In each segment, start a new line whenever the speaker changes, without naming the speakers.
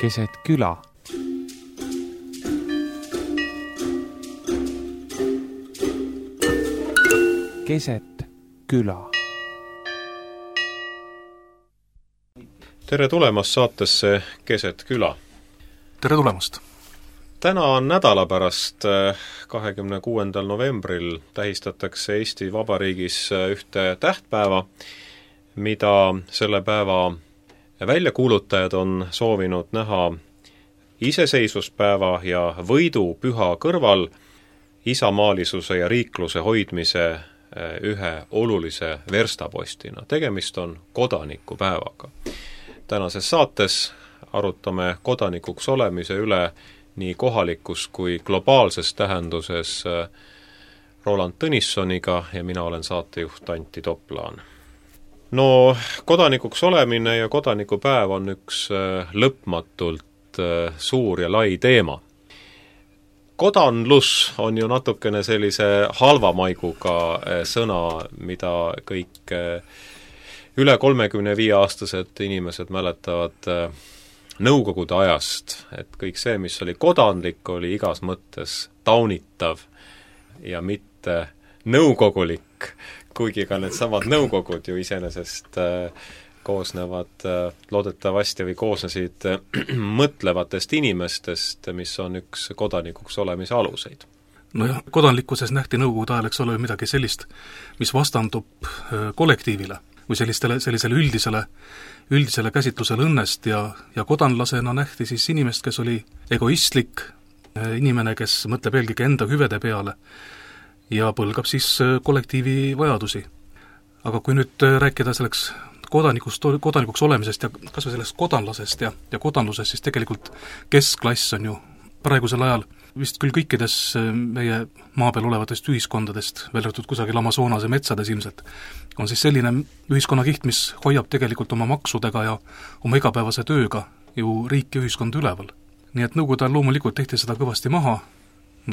keset küla. Keset küla.
Tere tulemast saatesse Keset küla.
Tere tulemast!
Täna on nädala pärast, 26. novembril tähistatakse Eesti Vabariigis ühte tähtpäeva, mida selle päeva väljakuulutajad on soovinud näha iseseisvuspäeva ja võidupüha kõrval isamaalisuse ja riikluse hoidmise ühe olulise verstapostina. Tegemist on kodanikupäevaga. Tänases saates arutame kodanikuks olemise üle nii kohalikus kui globaalses tähenduses Roland Tõnissoniga ja mina olen saatejuht Antti Toplaan. No, kodanikuks olemine ja kodanikupäev on üks lõpmatult suur ja lai teema. Kodanlus on ju natukene sellise halva maiguga sõna, mida kõik üle 35-aastased inimesed mäletavad nõukogude ajast, et kõik see, mis oli kodanlik, oli igas mõttes taunitav ja mitte nõukogulik, kuigi ka need samad nõukogud ju iseenesest koosnevad loodetavasti või koosnesid mõtlevatest inimestest, mis on üks kodanikuks olemise aluseid.
Nojah, kodanlikkuses nähti nõukogude ajal, eks ole, midagi sellist, mis vastandub kollektiivile või sellisele üldisele käsitlusele õnnest ja kodanlasena nähti siis inimest, kes oli egoistlik, inimene, kes mõtleb eelkõige enda hüvede peale ja põlgab siis kollektiivi vajadusi. Aga kui nüüd rääkida selleks kodanikuks olemisest ja kas või sellest kodanlasest ja kodanlusest, siis tegelikult keskklass on ju praegusel ajal vist küll kõikides meie maa peal olevatest ühiskondadest, välja arvatud kusagil Amazonase metsades ilmselt, on siis selline ühiskonnakiht, mis hoiab tegelikult oma maksudega ja oma igapäevase tööga ju riik ja ühiskond üleval. Nii et nõukogude ajal loomulikult tehti seda kõvasti maha,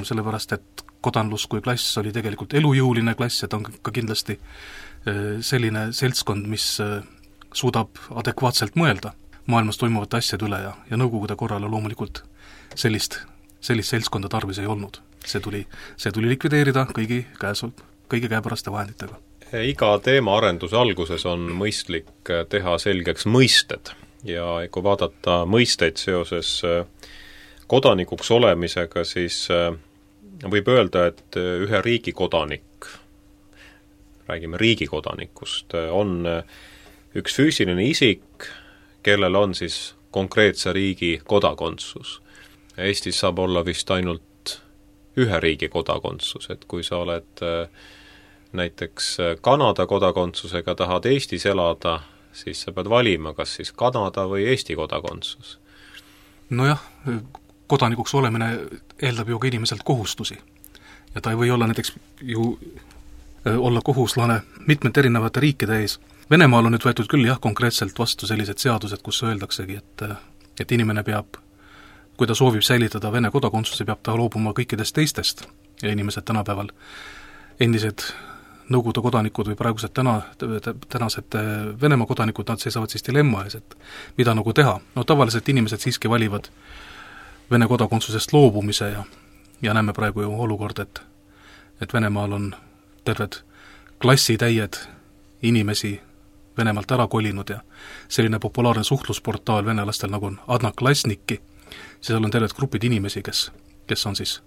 sellepärast et kodanlus kui klass oli tegelikult elujõuline klass ja ta on ka kindlasti selline seltskond, mis suudab adekvaatselt mõelda maailmas toimuvate asjade üle ja nõukogude korrale loomulikult sellist seltskonda tarvis ei olnud. See tuli likvideerida kõigi käepäraste vahenditega.
Iga teema arenduse alguses on mõistlik teha selgeks mõisted ja kui vaadata mõisteid seoses kodanikuks olemisega, siis võib öelda, et ühe riigi kodanik, räägime riigi kodanikust, on üks füüsiline isik, kellel on siis konkreetse riigi kodakondsus. Eestis saab olla vist ainult ühe riigi kodakondsus, et kui sa oled näiteks Kanada kodakondsusega, tahad Eestis elada, siis sa pead valima, kas siis Kanada või Eesti kodakondsus.
Nojah, kodanikuks olemine eeldab ju ka inimeselt kohustusi. Ja ta ei või olla näiteks ju olla kohuslane mitmete erinevate riikide ees. Venemaal on nüüd võetud küll konkreetselt vastu sellised seadused, kus öeldaksegi, et inimene peab, kui ta soovib säilitada Vene kodakondsuse, peab ta loobuma kõikidest teistest ja inimesed tänapäeval, endised Nõukogude kodanikud või praegused tänased Venemaa kodanikud, nad seisavad siis dilemma ees, et mida nagu teha. No tavaliselt inimesed siiski valivad Vene kodakondsusest loobumise ja näeme praegu ju olukord, et Venemaal on terved klassitäied inimesi Venemaalt ära kolinud ja selline populaarne suhtlusportaal venelastel nagu on Adnaklasniki, seal on terved grupid inimesi, kes on siis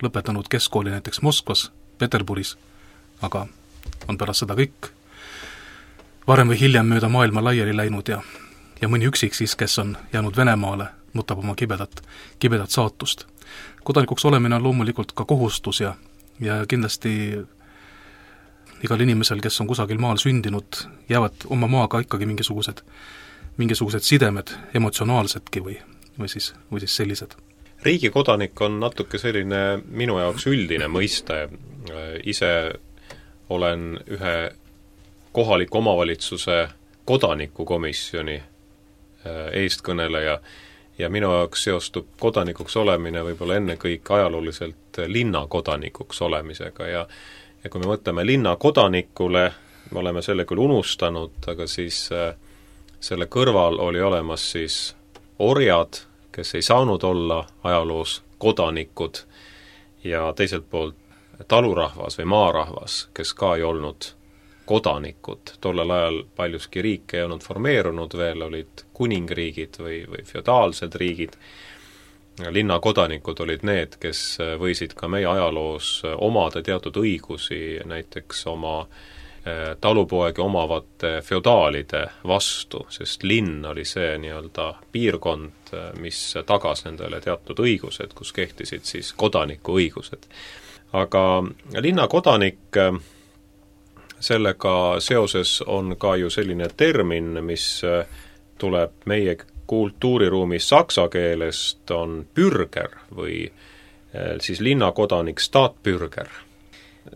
lõpetanud keskkooli näiteks Moskvas, Peterburis, aga on pärast seda kõik varem või hiljem mööda maailma laiali läinud ja mõni üksik siis, kes on jäänud Venemaale, nutab oma kibedat saatust. Kodanikuks olemine on loomulikult ka kohustus ja kindlasti igal inimesel, kes on kusagil maal sündinud, jäävad oma maaga ikkagi mingisugused sidemed emotsionaalsedki või siis sellised.
Riigi kodanik on natuke selline minu jaoks üldine mõiste. Ise olen ühe kohaliku omavalitsuse kodanikukomisjoni eestkõneleja ja minu jaoks seostub kodanikuks olemine võib-olla ennekõike ajalooliselt linna kodanikuks olemisega ja kui me mõtleme linna kodanikule, me oleme selle küll unustanud, aga siis selle kõrval oli olemas siis orjad, kes ei saanud olla ajaloos kodanikud, ja teiselt poolt talurahvas või maarahvas, kes ka ei olnud kodanikud. Tollel ajal paljuski riik ei olnud formeerunud veel, olid kuningriigid või feodaalsed riigid. Linnakodanikud olid need, kes võisid ka meie ajaloos omada teatud õigusi, näiteks oma talupoegi omavate feodaalide vastu, sest linn oli see nii-öelda piirkond, mis tagas nendele teatud õigused, kus kehtisid siis kodaniku õigused. Aga linnakodanik, sellega seoses on ka ju selline termin, mis tuleb meie kultuuriruumis saksa keelest, on bürger või siis linnakodanik Stadtbürger.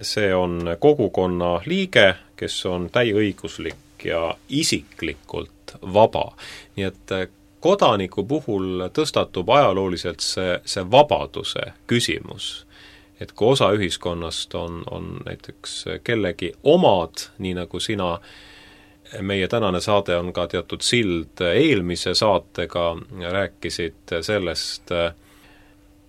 See on kogukonna liige, kes on täieõiguslik ja isiklikult vaba. Nii et kodaniku puhul tõstatub ajalooliselt see vabaduse küsimus. Et kui osa ühiskonnast on näiteks kellegi omad, nii nagu sina, meie tänane saade on ka teatud sild eelmise saatega, rääkisid sellest,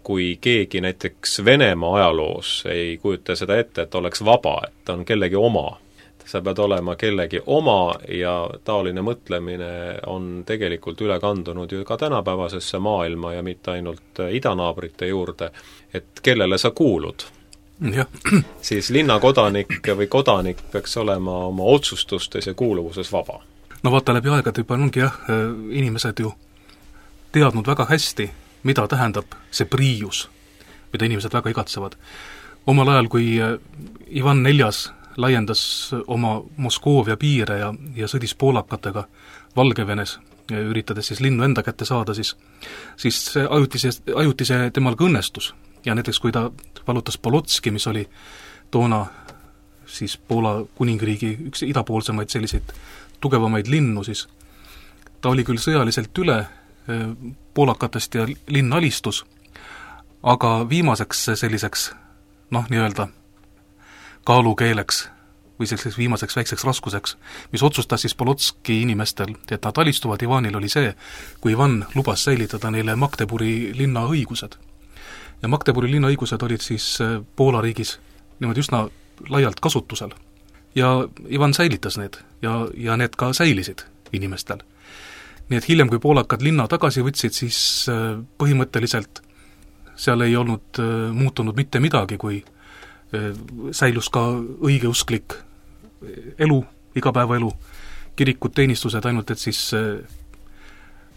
kui keegi näiteks Venemaa ajaloos ei kujuta seda ette, et oleks vaba, et on kellegi oma. Sa pead olema kellegi oma ja taoline mõtlemine on tegelikult üle kandunud ju ka tänapäevasesse maailma ja mitte ainult idanaabrite juurde, et kellele sa kuulud.
Ja.
Siis linnakodanik või kodanik peaks olema oma otsustustes ja kuuluvuses vaba.
No vaata, läbi aegade juba ongi inimesed ju teadnud väga hästi, mida tähendab see priius, mida inimesed väga igatsevad. Omal ajal, kui Ivan IV laiendas oma Moskoovia piire ja sõdis poolakatega Valgevenes, üritades siis linnu enda kätte saada, siis see ajutise temal ka õnnestus. Ja näiteks, kui ta valutas Polotski, mis oli toona siis Poola kuningriigi üks idapoolsemaid selliseid tugevamaid linnu, siis ta oli küll sõjaliselt üle poolakatest ja linn alistus, aga viimaseks selliseks, nii-öelda kaalukeeleks või selliseks viimaseks väikseks raskuseks, mis otsustas siis Polotski inimestel, et nad alistuvad Ivanil, oli see, kui Ivan lubas säilitada neile Magdeburi linna õigused. Ja Magdeburi linna õigused olid siis Poola riigis niimoodi üsna laialt kasutusel. Ja Ivan säilitas need ja need ka säilisid inimestel. Nii et hiljem, kui poolakad linna tagasi võtsid, siis põhimõtteliselt seal ei olnud muutunud mitte midagi, kui säilus ka õigeusklik elu, igapäevaelu, kirikud, teenistused, ainult et siis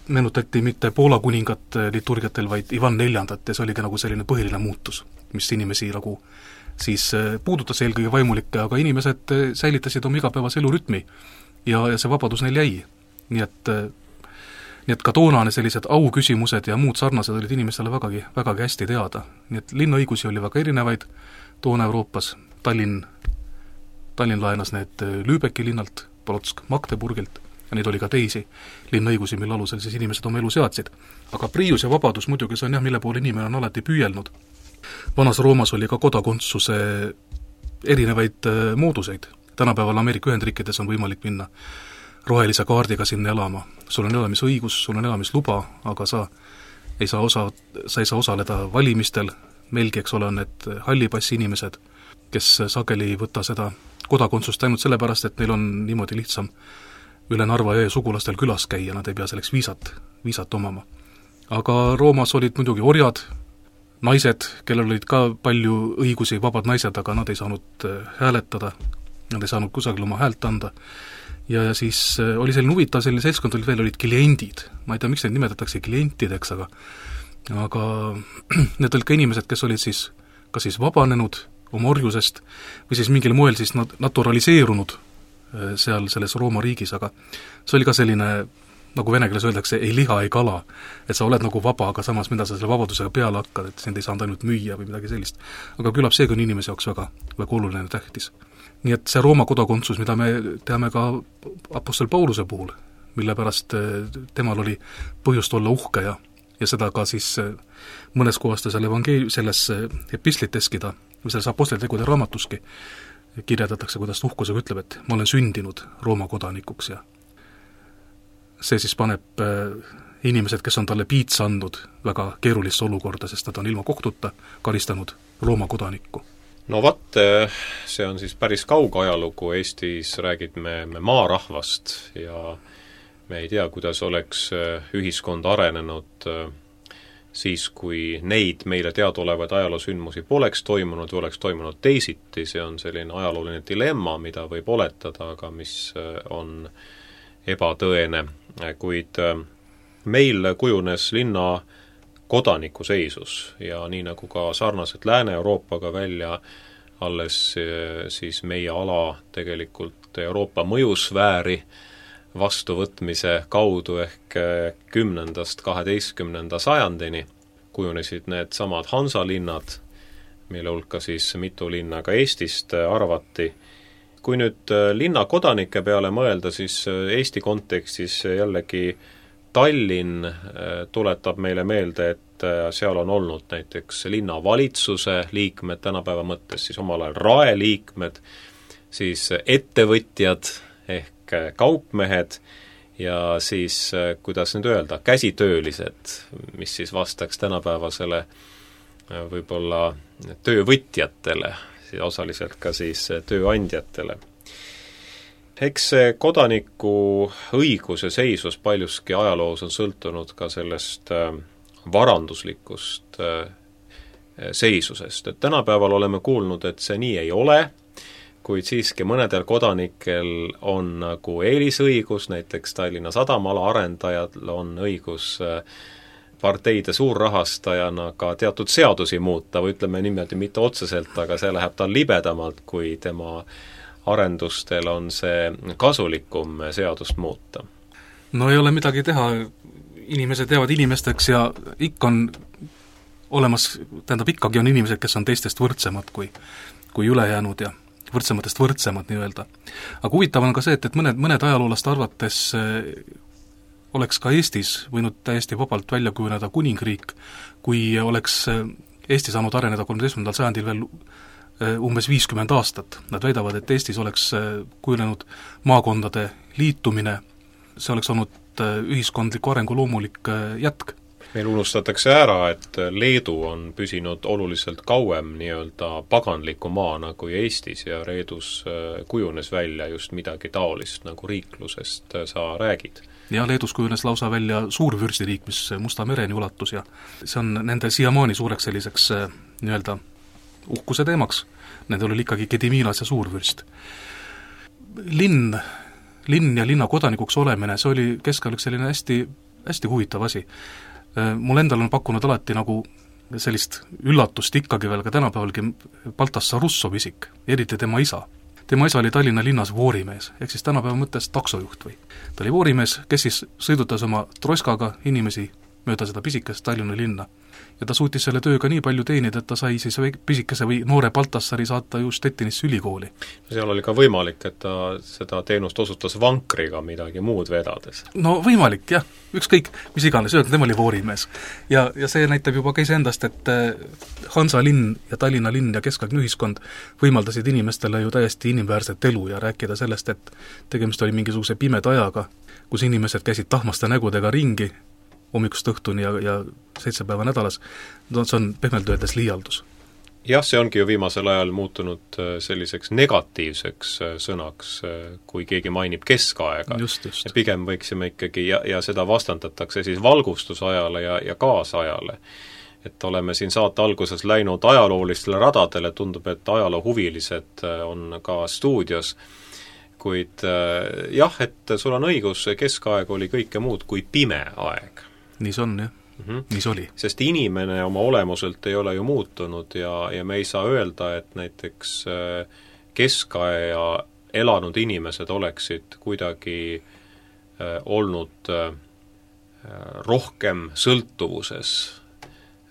meenutati mitte Poola kuningat liturgiatel, vaid Ivan IV, ja see oligi nagu selline põhiline muutus, mis inimesi nagu siis puudutas eelkõige vaimulikke, aga inimesed säilitasid oma igapäevase elurütmi ja see vabadus neil jäi. Nii et ka toonane sellised auküsimused ja muud sarnased olid inimestele vägagi hästi teada. Nii et linnaõigusi oli väga erinevaid toona Euroopas. Tallinn laenas need Lübecki linnalt, Polotsk Magdeburgilt ja neid oli ka teisi linnaõigusi, mille alusel siis inimesed oma elu seadsid. Aga priius ja vabadus muidugi see on mille poole inimene on alati püüelnud. Vanas Roomas oli ka kodakondsuse erinevaid mooduseid. Tänapäeval Ameerika Ühendriikides on võimalik minna rohelise kaardiga sinna elama. Sul on elamisõigus, sul on elamisluba, aga sa ei saa osaleda valimistel. Meilgi, eks ole, on need hallipassi inimesed, kes sageli ei võta seda kodakondsust ainult sellepärast, et neil on niimoodi lihtsam üle Narva jõe sugulastel külas käia, nad ei pea selleks viisat omama. Aga Roomas olid muidugi orjad, naised, kellel olid ka palju õigusi, vabad naised, aga nad ei saanud hääletada, nad ei saanud kusagil oma häält anda. Ja siis oli selline huvitav, selline seltskond olid kliendid. Ma ei tea, miks neid nimetatakse klientideks, aga need olid ka inimesed, kes olid siis kas siis vabanenud oma orjusest või siis mingil moel siis naturaliseerunud seal selles Rooma riigis, aga see oli ka selline, nagu vene keeles öeldakse, ei liha, ei kala. Et sa oled nagu vaba, aga samas mida sa selle vabadusega peale hakkad, et sind ei saanud ainult müüa või midagi sellist. Aga küllap seegi on inimese jaoks väga oluline tähtis. Nii et see Rooma kodakondsus, mida me teame ka apostel Pauluse puhul, mille pärast temal oli põhjust olla uhke ja seda ka siis mõnes kohas ta selles epistliteski või selles aposteltegude raamatuski kirjeldatakse, kuidas uhkusega ütleb, et ma olen sündinud Rooma kodanikuks ja see siis paneb inimesed, kes on talle piitsa andnud väga keerulisse olukorda, sest nad on ilma kohtuta karistanud Rooma kodanikku.
No vat, see on siis päris kauge ajalugu, Eestis räägime me maarahvast ja me ei tea, kuidas oleks ühiskond arenenud siis, kui neid meile teadaolevaid ajaloosündmusi poleks toimunud või oleks toimunud teisiti, see on selline ajalooline dilemma, mida võib oletada, aga mis on ebatõene, kuid meil kujunes linna kodaniku seisus ja nii nagu ka sarnaselt Lääne-Euroopaga välja alles siis meie ala tegelikult Euroopa mõjusfääri vastuvõtmise kaudu ehk 10.–12. sajandini kujunesid need samad Hansalinnad, mille hulka siis mitu linna ka Eestist arvati. Kui nüüd linna kodanike peale mõelda, siis Eesti kontekstis jällegi Tallinn tuletab meile meelde, et seal on olnud näiteks linnavalitsuse liikmed tänapäeva mõttes, siis omal ajal raeliikmed, siis ettevõtjad ehk kaupmehed ja siis, kuidas nüüd öelda, käsitöölised, mis siis vastaks tänapäevasele võib-olla töövõtjatele, osaliselt ka siis tööandjatele. Eks see kodaniku õiguse seisus paljuski ajaloos on sõltunud ka sellest varanduslikust seisusest, et tänapäeval oleme kuulnud, et see nii ei ole, kuid siiski mõnedel kodanikel on nagu eelisõigus, näiteks Tallinna Sadamala arendajal on õigus parteide suurrahastajana ka teatud seadusi muuta või ütleme niimoodi mitte otseselt, aga see läheb tal libedamalt, kui tema arendustel on see kasulikum seadust muuta.
No ei ole midagi teha, inimesed jäävad inimesteks ja ikka on olemas, tähendab ikkagi on inimesed, kes on teistest võrdsemad kui ülejäänud ja võrdsematest võrdsemad nii-öelda. Aga huvitav on ka see, et mõned ajaloolaste arvates oleks ka Eestis võinud täiesti vabalt välja kujuneda kuningriik, kui oleks Eesti saanud areneda 13. sajandil veel umbes 50 aastat. Nad väidavad, et Eestis oleks kujunenud maakondade liitumine, see oleks olnud ühiskondliku arengu loomulik jätk.
Meil unustatakse ära, et Leedu on püsinud oluliselt kauem nii-öelda paganliku maana kui Eestis ja Leedus kujunes välja just midagi taolist, nagu riiklusest sa räägid.
Ja Leedus kujunes lausa välja suurvürstiriik, mis Musta mereni ulatus ja see on nende siiamaani suureks selliseks nii-öelda uhkuse teemaks. Nendel oli ikkagi Gediminas ja suurvürst. Linn ja linna kodanikuks olemine, see oli keskajal selline hästi, hästi huvitav asi. Mul endal on pakkunud alati nagu sellist üllatust ikkagi veel ka tänapäevalgi Baltassar Russov isik, eriti tema isa. Tema isa oli Tallinna linnas voorimees, ehk siis tänapäeva mõttes taksojuht või. Ta oli voorimees, kes siis sõidutas oma troskaga inimesi mööda seda pisikest Tallinna linna. Ja ta suutis selle tööga nii palju teenida, et ta sai siis pisikese või noore Baltassari saata ju Stettinisse ülikooli.
Seal oli ka võimalik, et ta seda teenust osutas vankriga midagi muud vedades.
No võimalik, jah. Ükskõik, mis iganes, tema oli voorimees. Ja see näitab juba ka iseendast, et Hansa linn ja Tallinna linn ja keskaegne ühiskond võimaldasid inimestele ju täiesti inimväärset elu ja rääkida sellest, et tegemist oli mingisuguse pimeda ajaga, kus inimesed käisid tahmaste nägudega ringi hommikust õhtuni ja 7 päeva nädalas, no see on pehmelt öeldes liialdus.
Jah, see ongi ju viimasel ajal muutunud selliseks negatiivseks sõnaks, kui keegi mainib keskaega.
Just.
Ja pigem võiksime ikkagi, ja seda vastandatakse siis valgustusajale ja kaasajale. Et oleme siin saate alguses läinud ajaloolistele radadele, tundub, et ajaloohuvilised on ka stuudios, kuid jah, et sul on õigus, keskaeg oli kõike muud kui pime aeg.
Nii see on, jah. Nii see oli.
Sest inimene oma olemuselt ei ole ju muutunud ja me ei saa öelda, et näiteks keskaja elanud inimesed oleksid kuidagi olnud rohkem sõltuvuses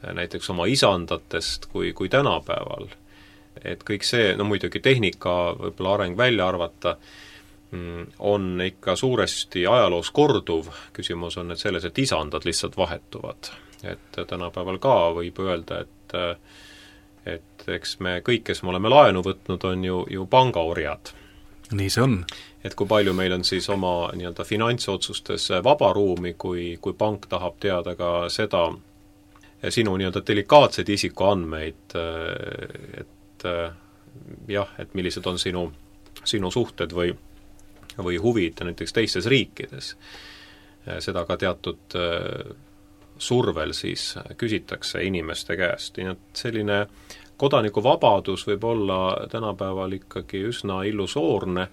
näiteks oma isandatest kui tänapäeval. Et kõik see, no muidugi tehnika võib-olla areng välja arvata, on ikka suuresti ajaloos korduv, küsimus on et selles, et isandad lihtsalt vahetuvad. Et tänapäeval ka võib öelda, et eks me kõik, kes me oleme laenu võtnud, on ju pangaorjad.
nii see on.
Et kui palju meil on siis oma nii-öelda finantsotsustes vaba ruumi, kui pank tahab teada ka seda, sinu nii-öelda delikaatseid isikuandmeid, et jah, et millised on sinu suhted või huvid näiteks teistes riikides. Seda ka teatud survel siis küsitakse inimeste käest. Nii et selline kodanikuvabadus võib olla tänapäeval ikkagi üsna illusoorne.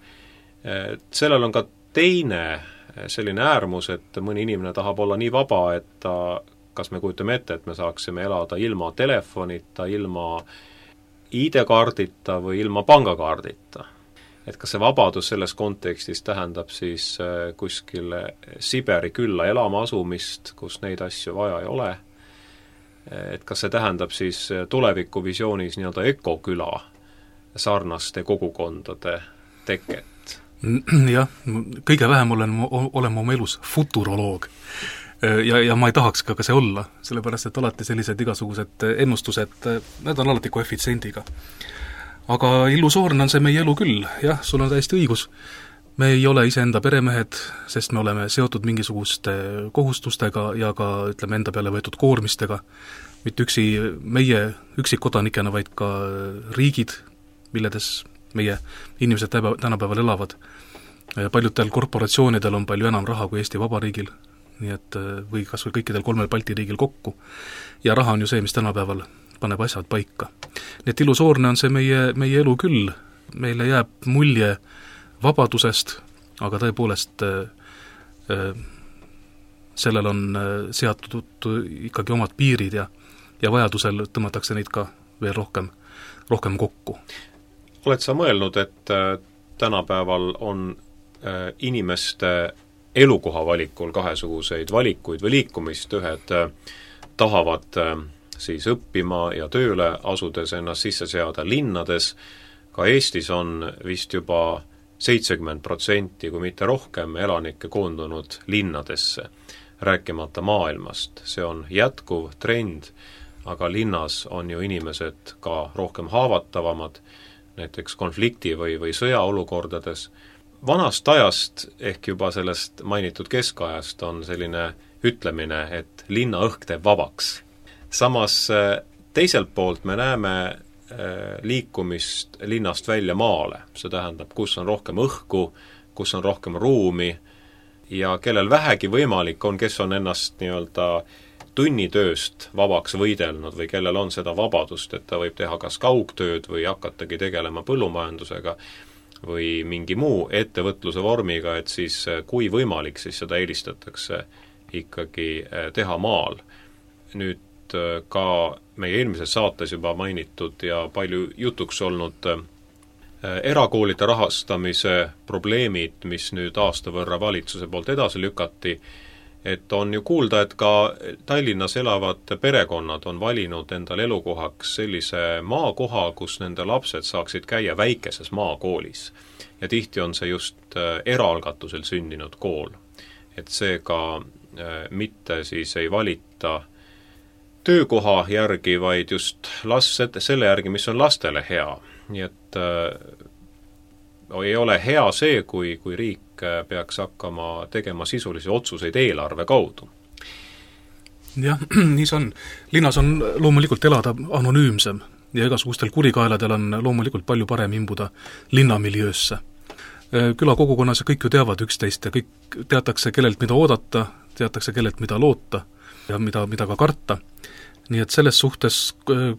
Sellel on ka teine selline äärmus, et mõni inimene tahab olla nii vaba, et ta, kas me kujutame ette, et me saaksime elada ilma telefonita, ilma ID-kaardita või ilma pangakaardita. Et kas see vabadus selles kontekstis tähendab siis kuskile Siberi külla elama asumist, kus neid asju vaja ei ole, et kas see tähendab siis tulevikuvisioonis nii-öelda ökoküla sarnaste kogukondade teket?
Jah, kõige vähem olen oma elus futuroloog. Ja ma ei tahaks ka see olla, sellepärast et alati sellised igasugused ennustused, need on alati koefitsiendiga. Aga illusoorne on see meie elu küll, jah, sul on täiesti õigus. Me ei ole iseenda peremehed, sest me oleme seotud mingisuguste kohustustega ja ka, ütleme, enda peale võetud koormistega. Mitte üksi meie üksikkodanikena, vaid ka riigid, milledes meie inimesed tänapäeval elavad. Paljudel korporatsioonidel on palju enam raha kui Eesti Vabariigil, nii et või kas või kõikidel 3 Balti riigil kokku. Ja raha on ju see, mis tänapäeval paneb asjad paika. Nii et illusoorne on see meie elu küll. Meile jääb mulje vabadusest, aga tõepoolest sellel on seatud ikkagi omad piirid ja vajadusel tõmmatakse neid ka veel rohkem kokku.
Oled sa mõelnud, et tänapäeval on inimeste elukoha valikul kahesuguseid valikuid või liikumist, ühed tahavad siis õppima ja tööle asudes ennast sisse seada linnades, ka Eestis on vist juba 70%, kui mitte rohkem elanikke koondunud linnadesse, rääkimata maailmast. See on jätkuv trend, aga linnas on ju inimesed ka rohkem haavatavamad, näiteks konflikti või sõjaolukordades. Vanast ajast ehk juba sellest mainitud keskajast on selline ütlemine, et linna õhk teeb vabaks. Samas teiselt poolt me näeme liikumist linnast välja maale. See tähendab, kus on rohkem õhku, kus on rohkem ruumi ja kellel vähegi võimalik on, kes on ennast nii-öelda tunnitööst vabaks võidelnud või kellel on seda vabadust, et ta võib teha kas kaugtööd või hakatagi tegelema põllumajandusega või mingi muu ettevõtluse vormiga, et siis kui võimalik, siis seda eelistatakse ikkagi teha maal. Nüüd ka meie eelmises saates juba mainitud ja palju jutuks olnud erakoolide rahastamise probleemid, mis nüüd aasta võrra valitsuse poolt edasi lükati, et on ju kuulda, et ka Tallinnas elavad perekonnad on valinud endal elukohaks sellise maakoha, kus nende lapsed saaksid käia väikeses maakoolis. Ja tihti on see just eraalgatusel sündinud kool. Et see ka mitte siis ei valita töökoha järgi, vaid just selle järgi, mis on lastele hea. Nii et ei ole hea see, kui riik peaks hakkama tegema sisulisi otsuseid eelarve kaudu.
Jah, nii see on. Linnas on loomulikult elada anonüümsem ja igasugustel kurikaeladel on loomulikult palju parem imbuda linnamiljöösse. Külakogukonnas kõik ju teavad üksteist ja kõik teatakse, kellelt mida oodata, teatakse, kellelt mida loota ja mida ka karta. Nii et selles suhtes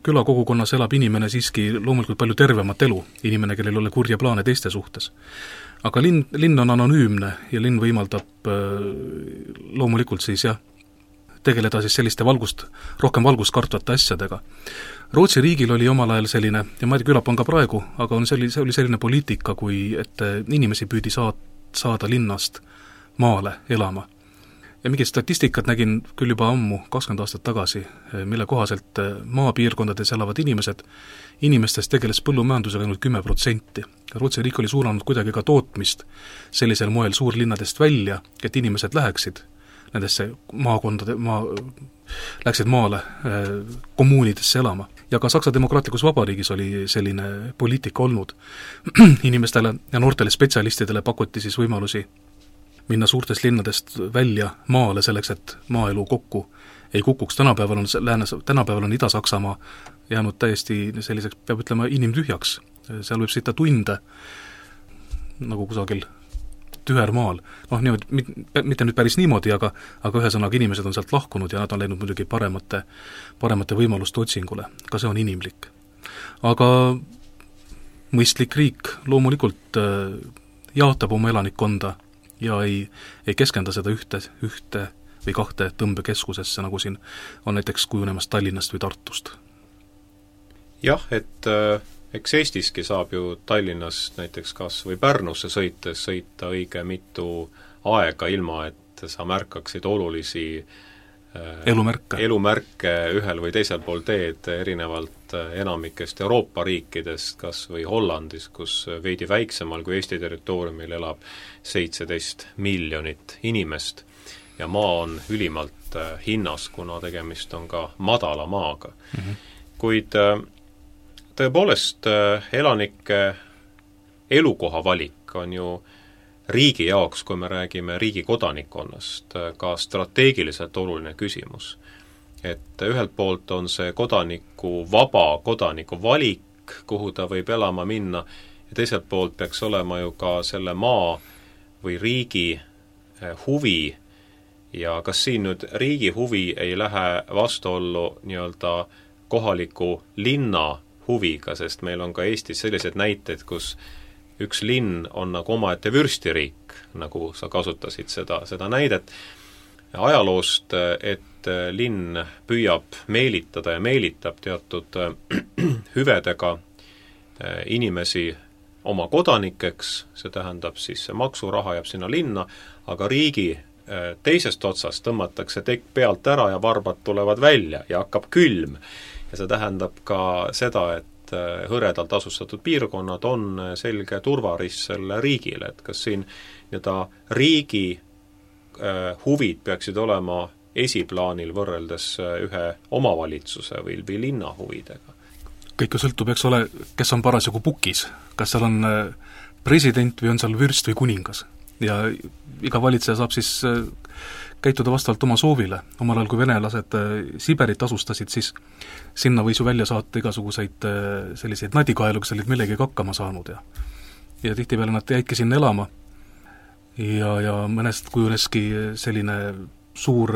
külakogukonnas elab inimene siiski loomulikult palju tervemat elu, inimene, kellel ei ole kurja plaane teiste suhtes. Aga linn on anonüümne ja linn võimaldab loomulikult siis tegeleda siis selliste rohkem valgust kartvate asjadega. Rootsi riigil oli omal ajal selline, ja ma ei tea, külap on ka praegu, aga see oli selline poliitika, et inimesi püüdi saada linnast maale elama. Ja mingid statistikat nägin küll juba ammu, 20 aastat tagasi, mille kohaselt maapiirkondades elavad inimestest tegeles põllumajandusega ainult 10%. Rootsi riik oli suunanud kuidagi ka tootmist sellisel moel suurlinnadest välja, et inimesed nendesse läksid maale kommuunidesse elama. Ja ka Saksa Demokraatlikus Vabariigis oli selline poliitika olnud. Inimestele ja noortele spetsialistidele pakuti siis võimalusi minna suurtest linnadest välja maale selleks, et maaelu kokku ei kukuks. Tänapäeval on Ida-Saksamaa jäänud täiesti selliseks, peab ütlema, inimtühjaks. Seal võib sõita tunde nagu kusagil tühermaal. Mitte nüüd päris niimoodi, aga ühesõnaga inimesed on sealt lahkunud ja nad on läinud muidugi paremate võimaluste otsingule. Ka see on inimlik. Aga mõistlik riik loomulikult jaotab oma elanikkonda ja ei keskenda seda ühte või kahte tõmbekeskusesse, nagu siin on näiteks kujunemas Tallinnast või Tartust.
Jah, et eks Eestiski saab ju Tallinnast näiteks kas või Pärnusse sõita õige mitu aega, ilma et sa märkaksid olulisi elumärke ühel või teisel pool teed, erinevalt enamikest Euroopa riikidest, kas või Hollandis, kus veidi väiksemal kui Eesti territooriumil elab 17 miljonit inimest ja maa on ülimalt hinnas, kuna tegemist on ka madala maaga. Kuid tõepoolest elanike elukoha valik on ju riigi jaoks, kui me räägime riigi kodanikkonnast, ka strateegiliselt oluline küsimus. Et ühelt poolt on see vaba kodaniku valik, kuhu ta võib elama minna, ja teiselt poolt peaks olema ju ka selle maa või riigi huvi, ja kas siin nüüd riigi huvi ei lähe vastuollu nii-öelda kohaliku linna huviga, sest meil on ka Eestis sellised näited, kus üks linn on nagu omaette vürstiriik, nagu sa kasutasid seda näidet ajaloost, et linn püüab meelitada ja meelitab teatud hüvedega inimesi oma kodanikeks, see tähendab siis see maksuraha jääb sinna linna, aga riigi teisest otsast tõmmatakse tekk pealt ära ja varbad tulevad välja ja hakkab külm. Ja see tähendab ka seda, et hõredalt asustatud piirkonnad on selge turvaris selle riigile, et kas siin riigi huvid peaksid olema esiplaanil võrreldes ühe omavalitsuse või linna huvidega.
Kõik ju sõltub, eks ole, kes on parasjagu pukis, kas seal on president või on seal vürst või kuningas. Ja iga valitseja saab siis käituda vastavalt oma soovile. Omal ajal, kui venelased Siberit asustasid, siis sinna võis ju välja saata igasuguseid selliseid nadikaelu, kes olid millegagi hakkama saanud ja tihtipeale nad jäidki sinna elama ja mõnest kujuneski selline suur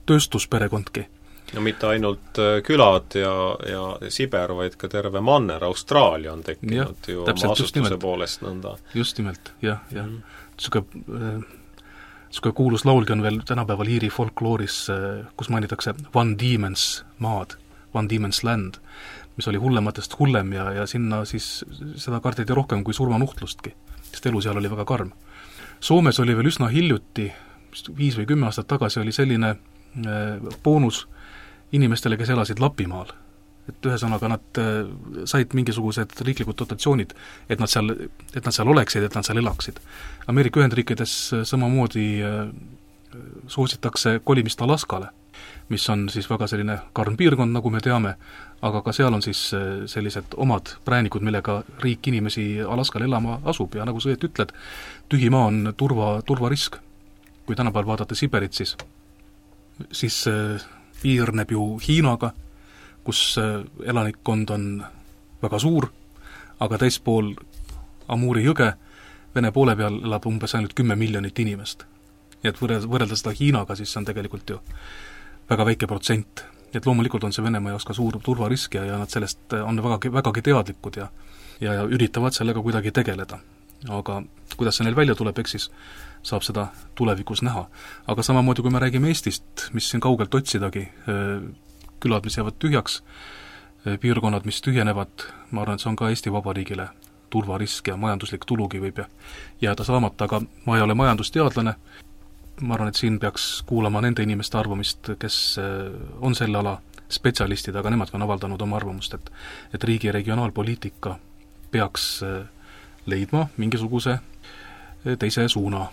tööstusperekondki.
No mitte ainult külad ja Siber, vaid ka terve manner, Austraalia on tekkinud ju oma asustuse poolest nõnda. Just nimelt, jah. Niisugune kuulus laulgi on veel tänapäeval Iiri folklooris, kus mainitakse Van Diemen's maad, Van Diemen's land, mis oli hullematest hullem ja sinna siis seda kardeti rohkem kui surmanuhtlustki, sest elu seal oli väga karm. Soomes oli veel üsna hiljuti, 5 või 10 aastat tagasi oli selline boonus inimestele, kes elasid Lapimaal. Et ühesõnaga nad said mingisugused riiklikud dotatsioonid, et nad seal oleksid, et nad seal elaksid. Ameerika Ühendriikides samamoodi soositakse kolimist Alaskale, mis on siis väga selline karm piirkond, nagu me teame, aga ka seal on siis sellised omad präänikud, millega riik inimesi Alaskal elama asub ja nagu sa ütled, tühi maa on turvarisk. Kui tänapäeval vaadata Siberit, siis piirneb ju Hiinaga, kus elanikkond on väga suur, aga teispool Amuri jõge Vene poole peal elab umbes ainult 10 miljonit inimest. Ja et võrrelda seda Hiinaga, siis see on tegelikult ju väga väike protsent. Et loomulikult on see Venemaa jaoks ka suur turvarisk ja nad sellest on vägagi teadlikud ja üritavad sellega kuidagi tegeleda. Aga kuidas see neil välja tuleb, eks siis saab seda tulevikus näha. Aga samamoodi, kui me räägime Eestist, mis siin kaugelt otsidagi, külad, mis jäävad tühjaks, piirkonnad, mis tühjenevad, ma arvan, et see on ka Eesti Vabariigile turvarisk ja majanduslik tulugi võib jääda saamata, aga ma ei ole majandusteadlane. Ma arvan, et siin peaks kuulama nende inimeste arvamist, kes on selle ala spetsialistid, aga nemad on avaldanud oma arvamust, et riigi regionaalpoliitika peaks leidma mingisuguse teise suuna.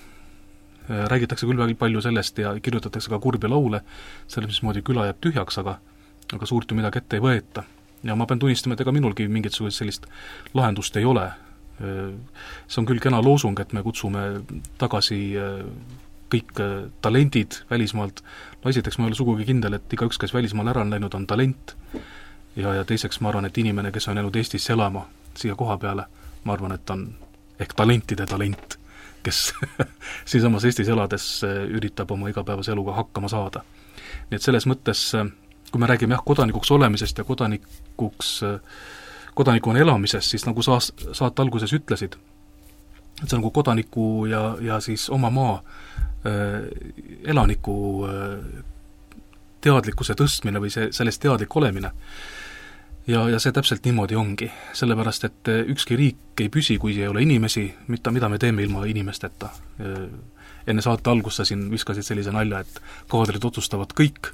räägitakse küll väga palju sellest ja kirjutatakse ka kurbi laule, selles mismoodi küla jääb tühjaks, aga suurt ju midagi ette ei võeta. Ja ma pean tunnistama, et ega minulgi mingisugust sellist lahendust ei ole. See on küll kena loosung, et me kutsume tagasi kõik talendid välismaalt. No esiteks ma ei ole sugugi kindel, et igaüks, kes välismaal ära on läinud, on talent. Ja teiseks ma arvan, et inimene, kes on jäänud Eestisse elama siia koha peale, ma arvan, et on ehk talentide talent, kes siisamas Eestis elades üritab oma igapäevase eluga hakkama saada. Nii et selles mõttes, kui me räägime kodanikuks olemisest ja kodanikuna elamisest, siis nagu saate alguses ütlesid, et see nagu kodaniku ja siis oma maa elaniku teadlikkuse tõstmine või sellest teadlik olemine. Ja see täpselt niimoodi ongi, sellepärast et ükski riik ei püsi, kui ei ole inimesi, mida me teeme ilma inimesteta. Enne saate algust sa siin viskasid sellise nalja, et kaadrid otsustavad kõik.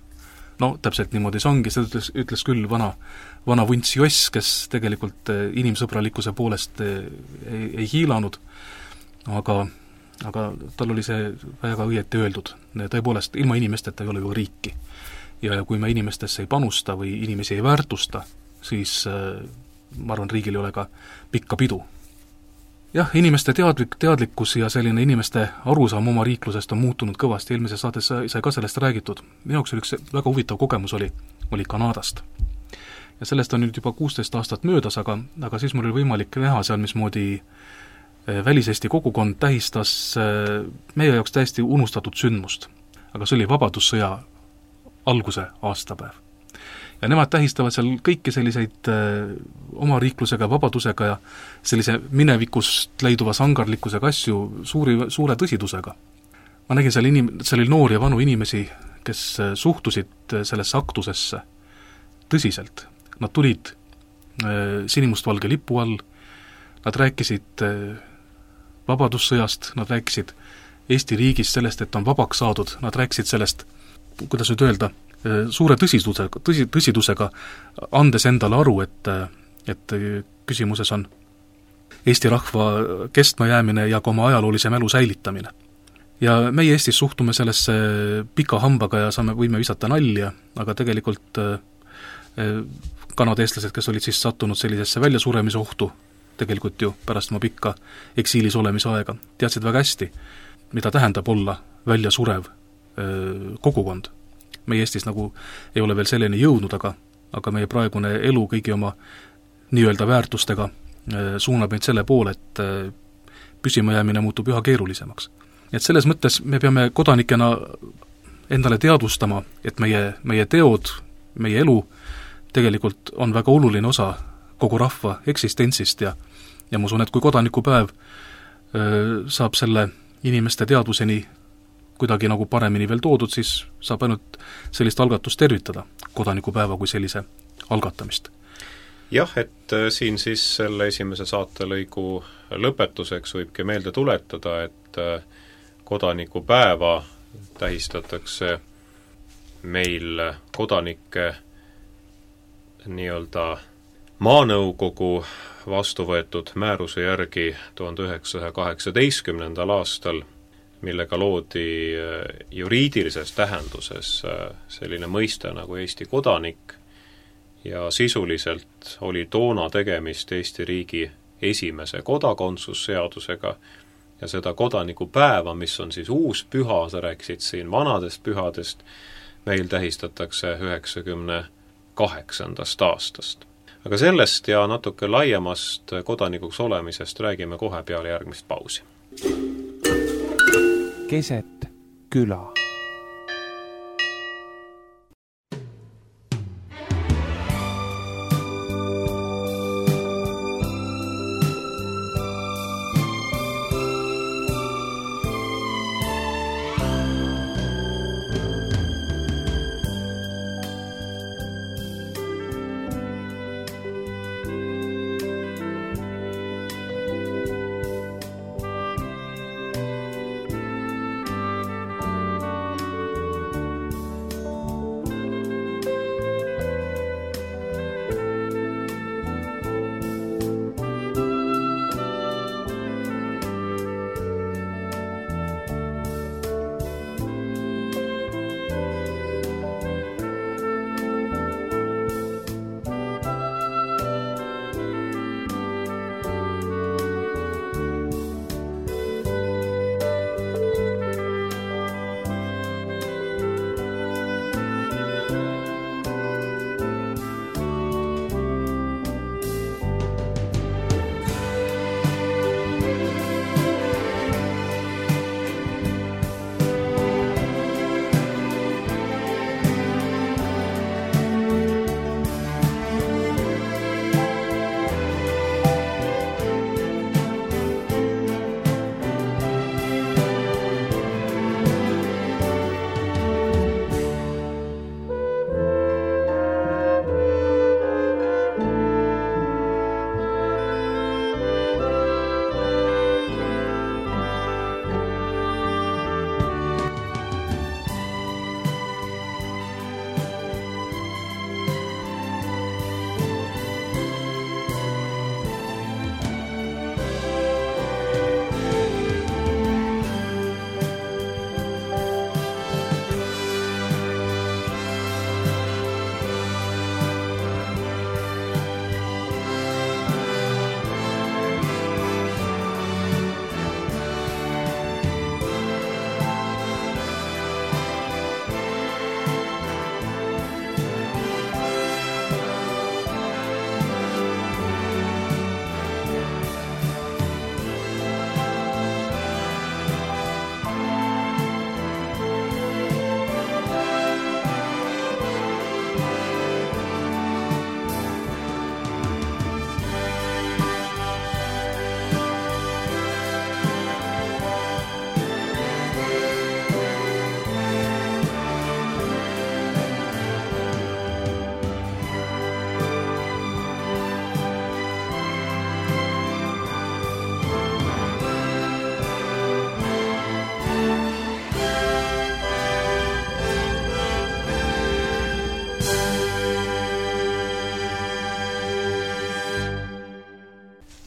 No täpselt niimoodi see ongi, seda ütles küll vana vunts Joss, kes tegelikult inimsõbralikkuse poolest ei hiilanud, aga tal oli see väga õieti öeldud. Tõepoolest, ilma inimesteta ei ole ju riiki. Ja kui me inimestesse ei panusta või inimesi ei väärtusta, siis ma arvan, riigil ei ole ka pikka pidu. Jah, inimeste teadlikkus ja selline inimeste arusaam oma riiklusest on muutunud kõvasti, eelmises saates sai ka sellest räägitud. Minu jaoks üks väga huvitav kogemus oli Kanadast. Ja sellest on nüüd juba 16 aastat möödas, aga siis mul oli võimalik näha seal, mismoodi väliseesti kogukond tähistas meie jaoks täiesti unustatud sündmust. Aga see oli Vabadussõja alguse aastapäev. Ja nemad tähistavad seal kõiki selliseid oma riiklusega, vabadusega ja sellise minevikust leiduva sangarlikkusega asju suure tõsidusega. Ma nägin seal oli noori ja vanu inimesi, kes suhtusid sellesse aktusesse tõsiselt. Nad tulid sinimustvalge lipu all, nad rääkisid Vabadussõjast, nad rääkisid Eesti riigist, sellest, et on vabaks saadud, nad rääkisid sellest, kuidas nüüd öelda, suure tõsidusega, andes endale aru, et küsimuses on Eesti rahva kestmajäämine ja ka oma ajaloolise mälu säilitamine. Ja meie Eestis suhtume sellesse pika hambaga ja võime visata nalja, aga tegelikult kanadeestlased, kes olid siis sattunud sellisesse väljasuremise ohtu, tegelikult ju pärast oma pikka eksiilis olemise aega, teadsid väga hästi, mida tähendab olla väljasurev kogukond. Meie Eestis nagu ei ole veel selleni jõudnud, aga meie praegune elu kõigi oma nii-öelda väärtustega suunab meid selle poole, et püsimajäämine muutub üha keerulisemaks. Et selles mõttes me peame kodanikena endale teadvustama, et meie teod, meie elu tegelikult on väga oluline osa kogu rahva eksistentsist ja ma usun, et kui kodanikupäev saab selle inimeste teadvuseni kuidagi nagu paremini veel toodud, siis saab ainult sellist algatust tervitada, kodanikupäeva kui sellise algatamist.
Jah, et siin siis selle esimese saatelõigu lõpetuseks võibki meelde tuletada, et kodanikupäeva tähistatakse meil kodanike nii-öelda maanõukogu vastu võetud määruse järgi 1918. aastal, millega loodi juriidilises tähenduses selline mõiste nagu Eesti kodanik ja sisuliselt oli toona tegemist Eesti riigi esimese kodakondsusseadusega ja seda kodanikupäeva, mis on siis uus püha, sa rääkisid siin vanadest pühadest, meil tähistatakse 98. aastast. Aga sellest ja natuke laiemast kodanikuks olemisest räägime kohe peale järgmist pausi.
Keset küla.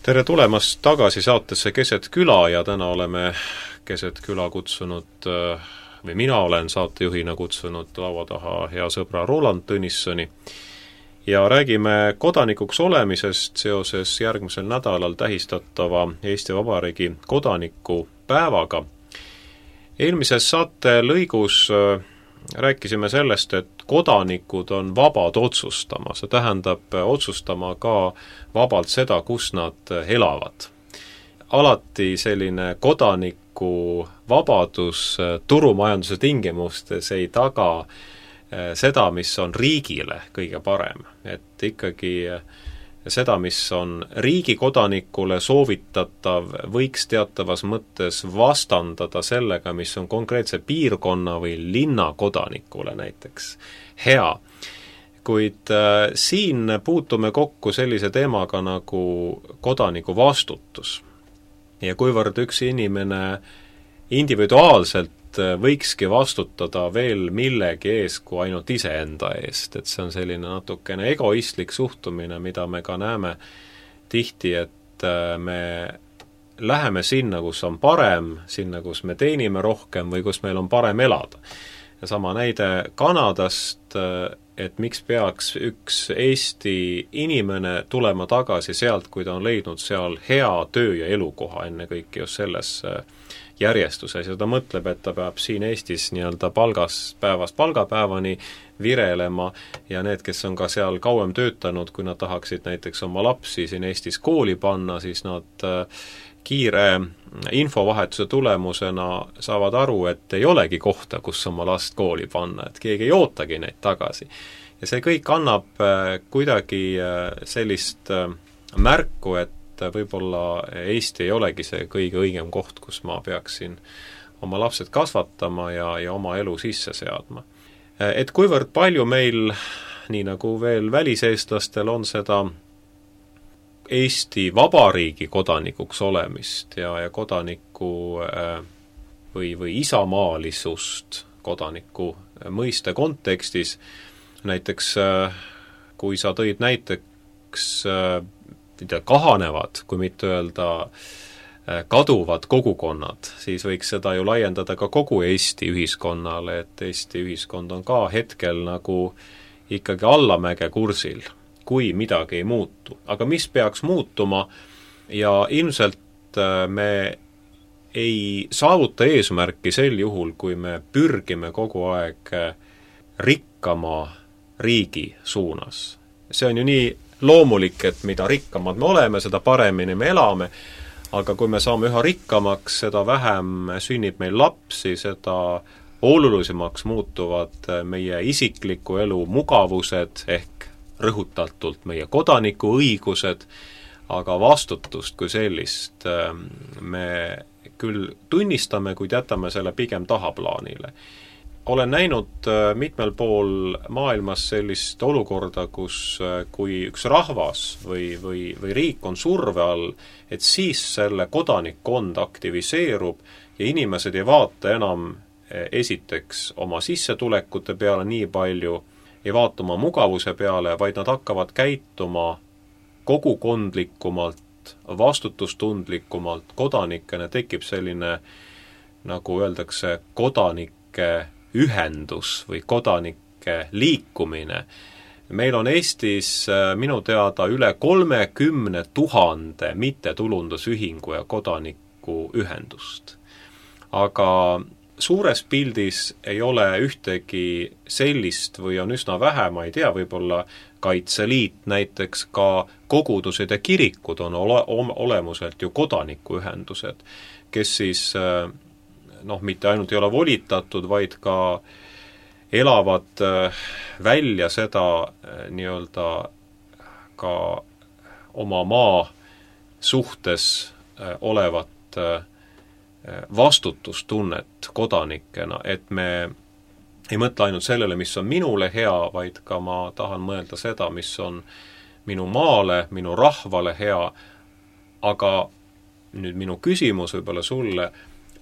tere tulemast tagasi saatesse Keset küla ja täna oleme Keset küla kutsunud, või mina olen saatejuhina kutsunud laua taha hea sõbra Roland Tõnissoni ja räägime kodanikuks olemisest seoses järgmisel nädalal tähistatava Eesti Vabariigi kodanikupäevaga. Eelmises saate lõigus rääkisime sellest, et kodanikud on vabad otsustama, see tähendab otsustama ka vabalt seda, kus nad elavad. Alati selline kodaniku vabadus turumajanduse tingimustes ei taga seda, mis on riigile kõige parem. Et ikkagi seda, mis on riigi kodanikule soovitatav, võiks teatavas mõttes vastandada sellega, mis on konkreetse piirkonna või linna kodanikule näiteks hea. Kuid siin puutume kokku sellise teemaga nagu kodaniku vastutus. Ja kuivõrd üks inimene individuaalselt võikski vastutada veel millegi ees kui ainult iseenda eest, et see on selline natukene egoistlik suhtumine, mida me ka näeme tihti, et me läheme sinna, kus on parem, sinna, kus me teenime rohkem või kus meil on parem elada. Ja sama näide Kanadast, et miks peaks üks Eesti inimene tulema tagasi sealt, kui ta on leidnud seal hea töö ja elukoha ennekõike just selles järjestuses ja ta mõtleb, et ta peab siin Eestis nii-öelda päevast palgapäevani virelema ja need, kes on ka seal kauem töötanud, kui nad tahaksid näiteks oma lapsi siin Eestis kooli panna, siis nad kiire infovahetuse tulemusena saavad aru, et ei olegi kohta, kus oma last kooli panna, et keegi ei ootagi neid tagasi. Ja see kõik annab kuidagi sellist märku, et võib-olla Eesti ei olegi see kõige õigem koht, kus ma peaksin oma lapsed kasvatama ja oma elu sisse seadma. Et kuivõrd palju meil, nii nagu veel väliseestlastel, on seda Eesti Vabariigi kodanikuks olemist ja kodaniku või isamaalisust kodaniku mõiste kontekstis, näiteks kui sa tõid näiteks kahanevad, kui mitte öelda kaduvad kogukonnad, siis võiks seda ju laiendada ka kogu Eesti ühiskonnale, et Eesti ühiskond on ka hetkel nagu ikkagi allamäge kursil, kui midagi ei muutu. Aga mis peaks muutuma ja ilmselt me ei saavuta eesmärki sel juhul, kui me pürgime kogu aeg rikkama riigi suunas. See on ju nii loomulik, et mida rikkamad me oleme, seda paremini me elame, aga kui me saame üha rikkamaks, seda vähem sünnib meil lapsi, seda olulisemaks muutuvad meie isikliku elu mugavused ehk rõhutatult meie kodaniku õigused, aga vastutust kui sellist me küll tunnistame, kuid jätame selle pigem tahaplaanile. Olen näinud mitmel pool maailmas sellist olukorda, kus kui üks rahvas või riik on surve all, et siis selle kodanikkond aktiviseerub ja inimesed ei vaata enam esiteks oma sissetulekute peale nii palju, ei vaata oma mugavuse peale, vaid nad hakkavad käituma kogukondlikumalt, vastutustundlikumalt, kodanikena tekib selline, nagu öeldakse, kodanike ühendus või kodanike liikumine. Meil on Eestis minu teada üle 30 000 mittetulundusühingu ja kodaniku ühendust. Aga suures pildis ei ole ühtegi sellist või on üsna vähe, ma ei tea, võib-olla Kaitseliit näiteks, ka kogudused ja kirikud on olemuselt ju kodanikuühendused, kes siis mitte ainult ei ole volitatud, vaid ka elavad välja seda nii-öelda ka oma maa suhtes olevat vastutustunnet kodanikena, et me ei mõtle ainult sellele, mis on minule hea, vaid ka ma tahan mõelda seda, mis on minu maale, minu rahvale hea, aga nüüd minu küsimus võib-olla sulle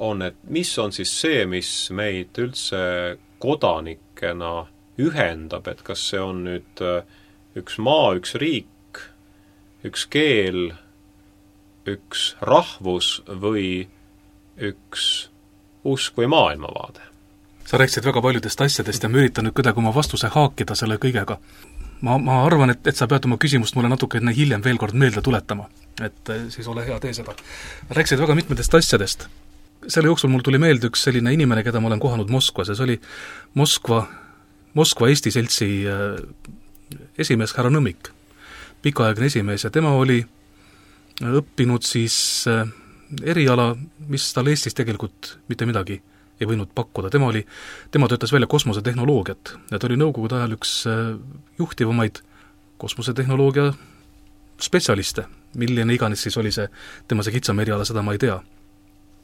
on, et mis on siis see, mis meid üldse kodanikena ühendab, et kas see on nüüd üks maa, üks riik, üks keel üks rahvus või üks usk või maailmavaade?
Sa rääkisid väga paljudest asjadest ja ma üritan nüüd kuidagi oma vastuse haakida selle kõigega. Ma arvan, et sa pead oma küsimust mulle natuke enne hiljem veel kord meelde tuletama. Et siis ole hea, tee seda. Rääkisid väga mitmetest asjadest. Selle jooksul mul tuli meelde üks selline inimene, keda ma olen kohanud Moskvas, ja see oli Moskva Eesti Seltsi esimees härra Nõmmik, pikaaegne esimees, ja tema oli õppinud siis eriala, mis tal Eestis tegelikult mitte midagi ei võinud pakkuda. Tema töötas välja kosmosetehnoloogiat ja ta oli nõukogude ajal üks juhtivamaid kosmosetehnoloogia spetsialiste, milline iganes siis oli tema kitsam eriala, seda ma ei tea.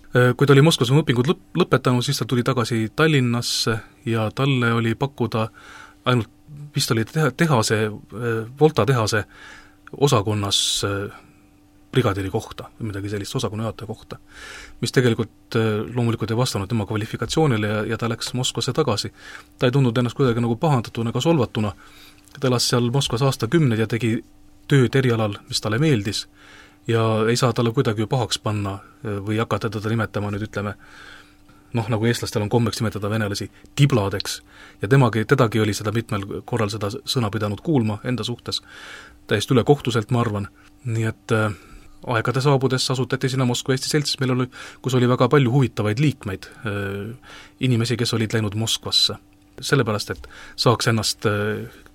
Kui ta oli Moskvas oma õpingud lõpetanud, siis ta tuli tagasi Tallinnasse ja talle oli pakkuda ainult, vist oli Volta tehase osakonnas brigadeeri kohta või midagi sellist, osakonna juhataja kohta, mis tegelikult loomulikult ei vastanud tema kvalifikatsioonile ja ta läks Moskvasse tagasi. Ta ei tundnud ennast kuidagi nagu pahandatuna ega solvatuna. Ta elas seal Moskvas aastakümneid ja tegi tööd erialal, mis talle meeldis ja ei saa talle kuidagi pahaks panna või hakata teda nimetama nüüd ütleme, nagu eestlastel on kommeks nimetada venelasi tibladeks ja tedagi oli seda mitmel korral seda sõna pidanud kuulma enda suhtes, täiesti ülekohtuselt, ma arvan. Nii et aegade saabudes asutati sinna Moskva Eesti Selts, kus oli väga palju huvitavaid liikmeid, inimesi, kes olid läinud Moskvasse, sellepärast, et saaks ennast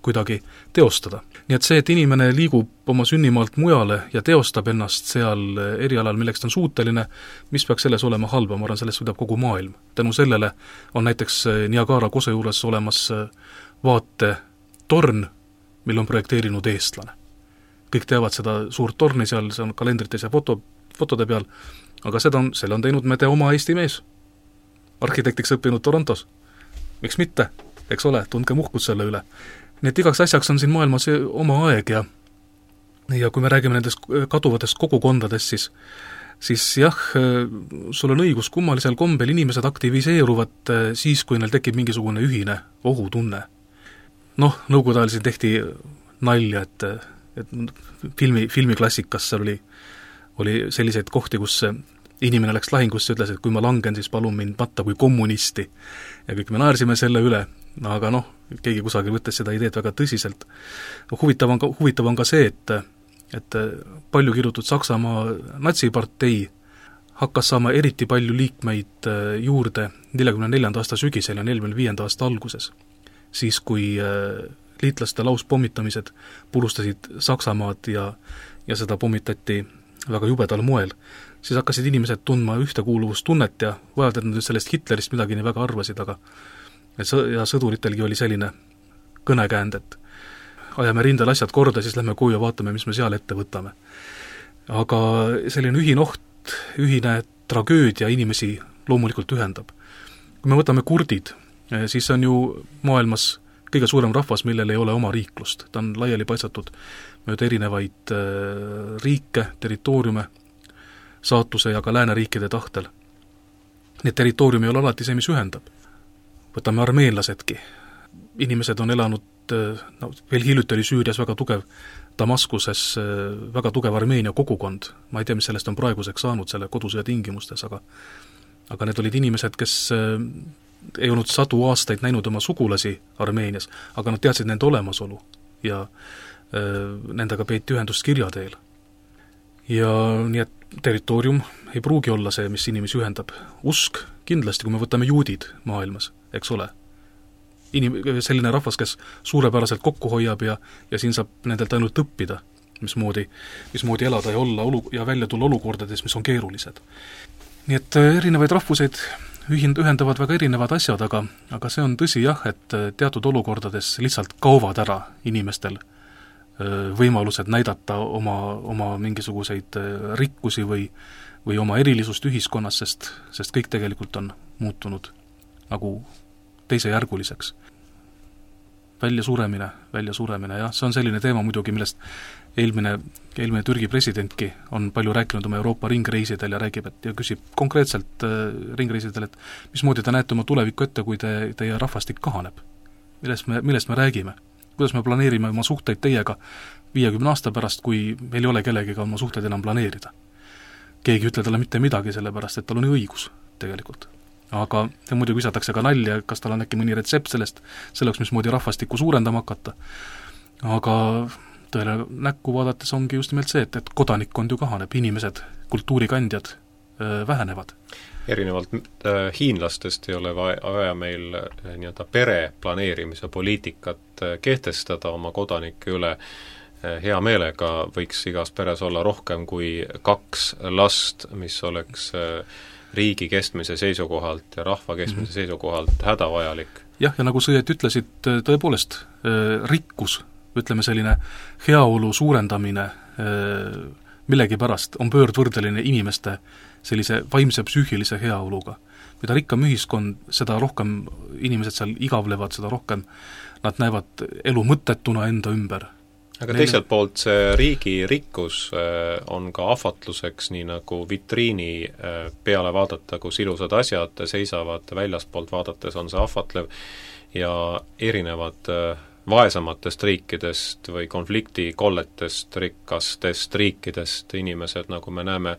kuidagi teostada. Nii et see, et inimene liigub oma sünnimaalt mujale ja teostab ennast seal erialal, milleks ta on suuteline, mis peaks selles olema halba, ma arvan, sellest võidab kogu maailm. Tänu sellele on näiteks Niagara kose juures olemas vaatetorn, mille on projekteerinud eestlane. Kõik teavad seda suurt torni seal, see on kalendrites ja fotode peal, aga selle on teinud meie oma Eesti mees, arhitektiks õppinud Torontos. Miks mitte, eks ole, tundke muhkust selle üle. Nii et igaks asjaks on siin maailmas oma aeg ja kui me räägime nendest kaduvatest kogukondadest, siis jah, sul on õigus, kummalisel kombel inimesed aktiviseeruvad siis, kui neil tekib mingisugune ühine ohutunne. Nõukogude ajal siin tehti nalja, et filmiklassikas seal oli selliseid kohti, kus inimene läks lahingusse ja ütles, et kui ma langen, siis palun mind matta kui kommunisti. Ja kõik me naersime selle üle, aga keegi kusagil võttes seda ideed väga tõsiselt. Huvitav on ka see, et palju kirjutud Saksamaa natsipartei hakkas saama eriti palju liikmeid juurde 44. aasta sügisel ja 45. aasta alguses, siis kui liitlaste lauspommitamised purustasid Saksamaad ja seda pommitati väga jubedal moel, siis hakkasid inimesed tundma ühtekuuluvustunnet ja vajalt, et nad sellest Hitlerist midagi nii väga arvasid, aga ja sõduritelgi oli selline kõnekäänd, et ajame rindel asjad korda, siis lähme koju ja vaatame, mis me seal ette võtame. Aga selline ühine tragöödia inimesi loomulikult ühendab. Kui me võtame kurdid, siis on ju maailmas kõige suurem rahvas, millel ei ole oma riiklust. Ta on laiali paitsatud mööda erinevaid riike, territooriume, saatuse ja ka lääneriikide tahtel. Need territooriumi ei ole alati see, mis ühendab. Võtame armeenlasedki. Inimesed on elanud, veel hiljuti oli Süürias väga tugev, Damaskuses väga tugev Armeenia kogukond. Ma ei tea, mis sellest on praeguseks saanud selle kodusõja tingimustes, aga need olid inimesed, kes ei olnud sadu aastaid näinud oma sugulasi Armeenias, aga nad teadsid nende olemasolu ja nendega peeti ühendust kirja teel. Ja nii et territoorium ei pruugi olla see, mis inimesi ühendab. Usk kindlasti, kui me võtame juudid maailmas, eks ole. Selline rahvas, kes suurepäraselt kokku hoiab ja siin saab nendelt ainult õppida, mismoodi elada ja olla ja välja tulla olukordades, mis on keerulised. Nii et erinevaid rahvuseid ühendavad väga erinevad asjad, aga see on tõsi jah, et teatud olukordades lihtsalt kaovad ära inimestel võimalused näidata oma mingisuguseid rikkusi või oma erilisust ühiskonnas, sest kõik tegelikult on muutunud nagu teisejärguliseks. Väljasuremine, jah, see on selline teema muidugi, millest eelmine Türgi presidentki on palju rääkinud oma Euroopa ringreisidel ja küsib konkreetselt ringreisidel, et mismoodi te näete oma tulevikku ette, kui teie rahvastik kahaneb. Millest me räägime? Kuidas me planeerime oma suhteid teiega 50 aasta pärast, kui meil ei ole kellegiga oma suhteid enam planeerida? keegi ei ütle talle mitte midagi, sellepärast et tal on ju õigus tegelikult. Aga muidugi visatakse ka nalja, kas tal on äkki mõni retsept selleks, mismoodi rahvastikku suurendama hakata. Aga tõele näkku vaadates ongi just nimelt see, et kodanikkond ju kahaneb, inimesed, kultuurikandjad vähenevad.
Erinevalt hiinlastest ei ole vaja meil nii-öelda pere planeerimise poliitikat kehtestada oma kodanike üle. Hea meelega võiks igas peres olla rohkem kui 2 last, mis oleks riigi kestmise seisukohalt ja rahva kestmise seisukohalt hädavajalik. Jah,
ja nagu sa ütlesid, tõepoolest rikkus, ütleme selline heaolu suurendamine millegipärast on pöördvõrdeline inimeste sellise vaimse psüühilise heaoluga. Mida rikkam ühiskond, seda rohkem inimesed seal igavlevad, seda rohkem nad näevad elu mõttetuna enda ümber.
Aga teiselt poolt see riigi rikkus on ka ahvatluseks, nii nagu vitriini peale vaadata, kus ilusad asjad seisavad, väljaspoolt vaadates on see ahvatlev ja erinevad vaesamatest riikidest või konfliktikolletest, rikkastest riikidest inimesed, nagu me näeme,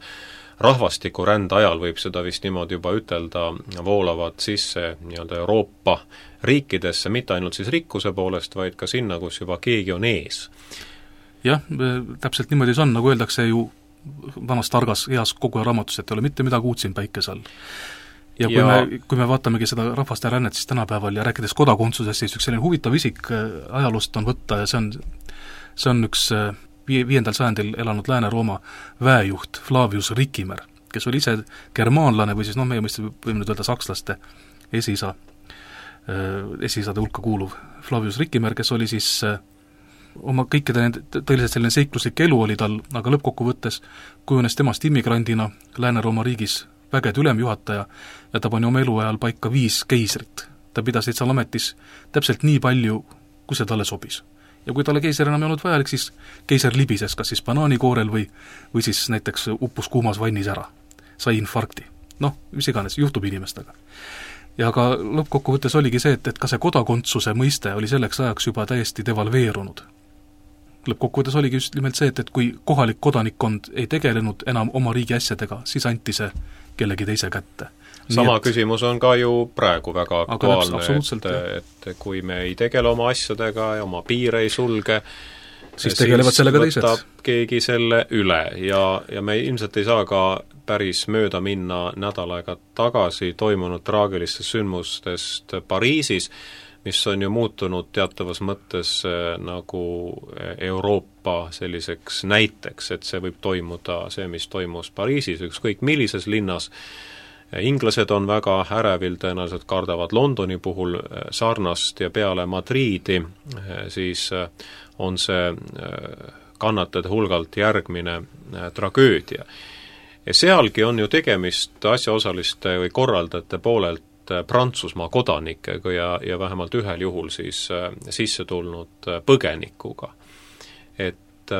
rahvastikurände ajal võib seda vist niimoodi juba ütelda, voolavad sisse nii-öelda Euroopa riikidesse, mitte ainult siis rikkuse poolest, vaid ka sinna, kus juba keegi on ees.
Jah, täpselt niimoodi see on, nagu öeldakse ju vanas targas heas kogu raamatus, et ei ole mitte midagi uut siin päikese all. Ja kui me vaatamegi seda rahvaste rännet siis tänapäeval ja rääkides kodakondsusest, siis üks selline huvitav isik ajaloost on võtta ja see on üks 5. sajandil elanud Lääne-Rooma väejuht Flavius Ricimer, kes oli ise germaanlane või siis meie mõistes võime nüüd öelda sakslaste esiisade hulka kuuluv Flavius Ricimer, kes oli siis oma kõikide tõeliselt selline seikluslik elu oli tal, aga lõppkokkuvõttes kujunes temast immigrandina Lääne-Rooma riigis vägede ülemjuhataja ja ta pani oma eluajal paika 5 keisrit. Ta pidas seal ametis täpselt nii palju, kui see talle sobis. Ja kui talle keiser enam ei olnud vajalik, siis keiser libises kas siis banaanikoorel või siis näiteks uppus kuumas vannis ära. Sai infarkti. Mis iganes, juhtub inimestega. Ja ka lõppkokkuvõttes oligi see, et ka see kodakondsuse mõiste oli selleks ajaks juba täiesti devalveerunud. Lõppkokkuvõttes oligi just nimelt see, et kui kohalik kodanikkond ei tegelenud enam oma riigi asjadega, siis anti see kellegi teise kätte.
Sama küsimus on ka ju praegu väga aktuaalne, et kui me ei tegele oma asjadega ja oma piire ei sulge,
siis tegelevad sellega teised.
Võtab keegi selle üle ja me ilmselt ei saa ka päris mööda minna nädal aega tagasi toimunud traagilistest sündmustest Pariisis, mis on ju muutunud teatavas mõttes nagu Euroopa selliseks näiteks, et see võib toimuda, see, mis toimus Pariisis, ükskõik millises linnas. Inglased on väga ärevil, tõenäoliselt kardavad Londoni puhul sarnast ja peale Madriidi, siis on see kannatajate hulgalt järgmine tragöödia. Ja sealgi on ju tegemist asjaosaliste või korraldajate poolelt Prantsusmaa kodanikega ja vähemalt ühel juhul siis sisse tulnud põgenikuga. Et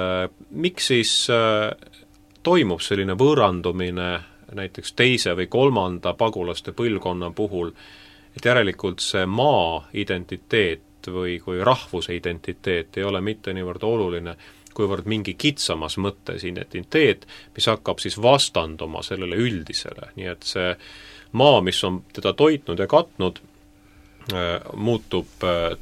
miks siis toimub selline võõrandumine näiteks 2. või 3. pagulaste põlvkonna puhul, et järelikult see maa identiteet või kui rahvuse identiteet ei ole mitte niivõrd oluline, kuivõrd mingi kitsamas mõttes identiteet, mis hakkab siis vastanduma sellele üldisele, nii et see maa, mis on teda toitnud ja katnud, muutub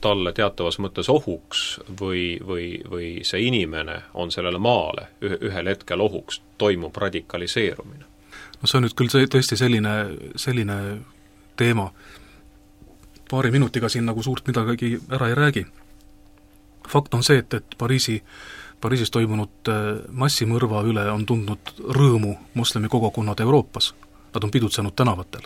talle teatavas mõttes ohuks või see inimene on sellele maale ühel hetkel ohuks, toimub radikaliseerumine.
See on nüüd küll tõesti selline teema. Paari minutiga siin nagu suurt midagi ära ei räägi. Fakt on see, et Pariisis toimunud massimõrva üle on tundnud rõõmu moslemi kogukonnad Euroopas. Nad on pidutsenud tänavatel.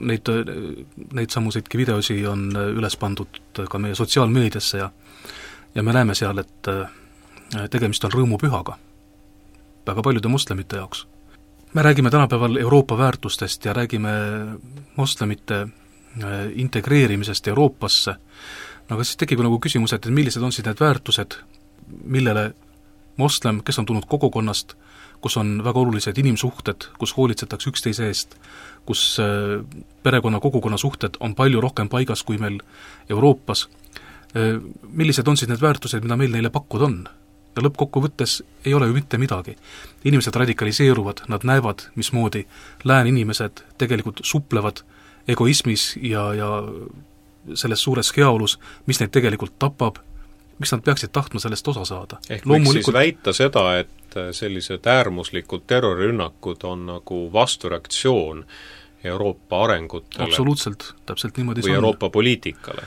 Neid samuseidki videosi on üles pandud ka meie sotsiaalmeediasse ja me näeme seal, et tegemist on rõõmupühaga väga paljude moslemite jaoks. Me räägime tänapäeval Euroopa väärtustest ja räägime moslemite integreerimisest Euroopasse. Aga siis tekib nagu küsimus, et millised on siis need väärtused, millele moslem, kes on tulnud kogukonnast, kus on väga olulised inimsuhted, kus hoolitsetakse üksteise eest, kus perekonna kogukonna suhted on palju rohkem paigas kui meil Euroopas. Millised on siis need väärtused, mida meil neile pakkuda on? ja lõppkokkuvõttes ei ole ju mitte midagi. Inimesed radikaliseeruvad, nad näevad, mismoodi lääne inimesed tegelikult suplevad egoismis ja selles suures heaolus, mis neid tegelikult tapab, miks nad peaksid tahtma sellest osa saada.
Ehk võiks siis väita seda, et sellised äärmuslikud terrorirünnakud on nagu vastureaktsioon Euroopa arengutele.
Absoluutselt, täpselt niimoodi
või Euroopa poliitikale.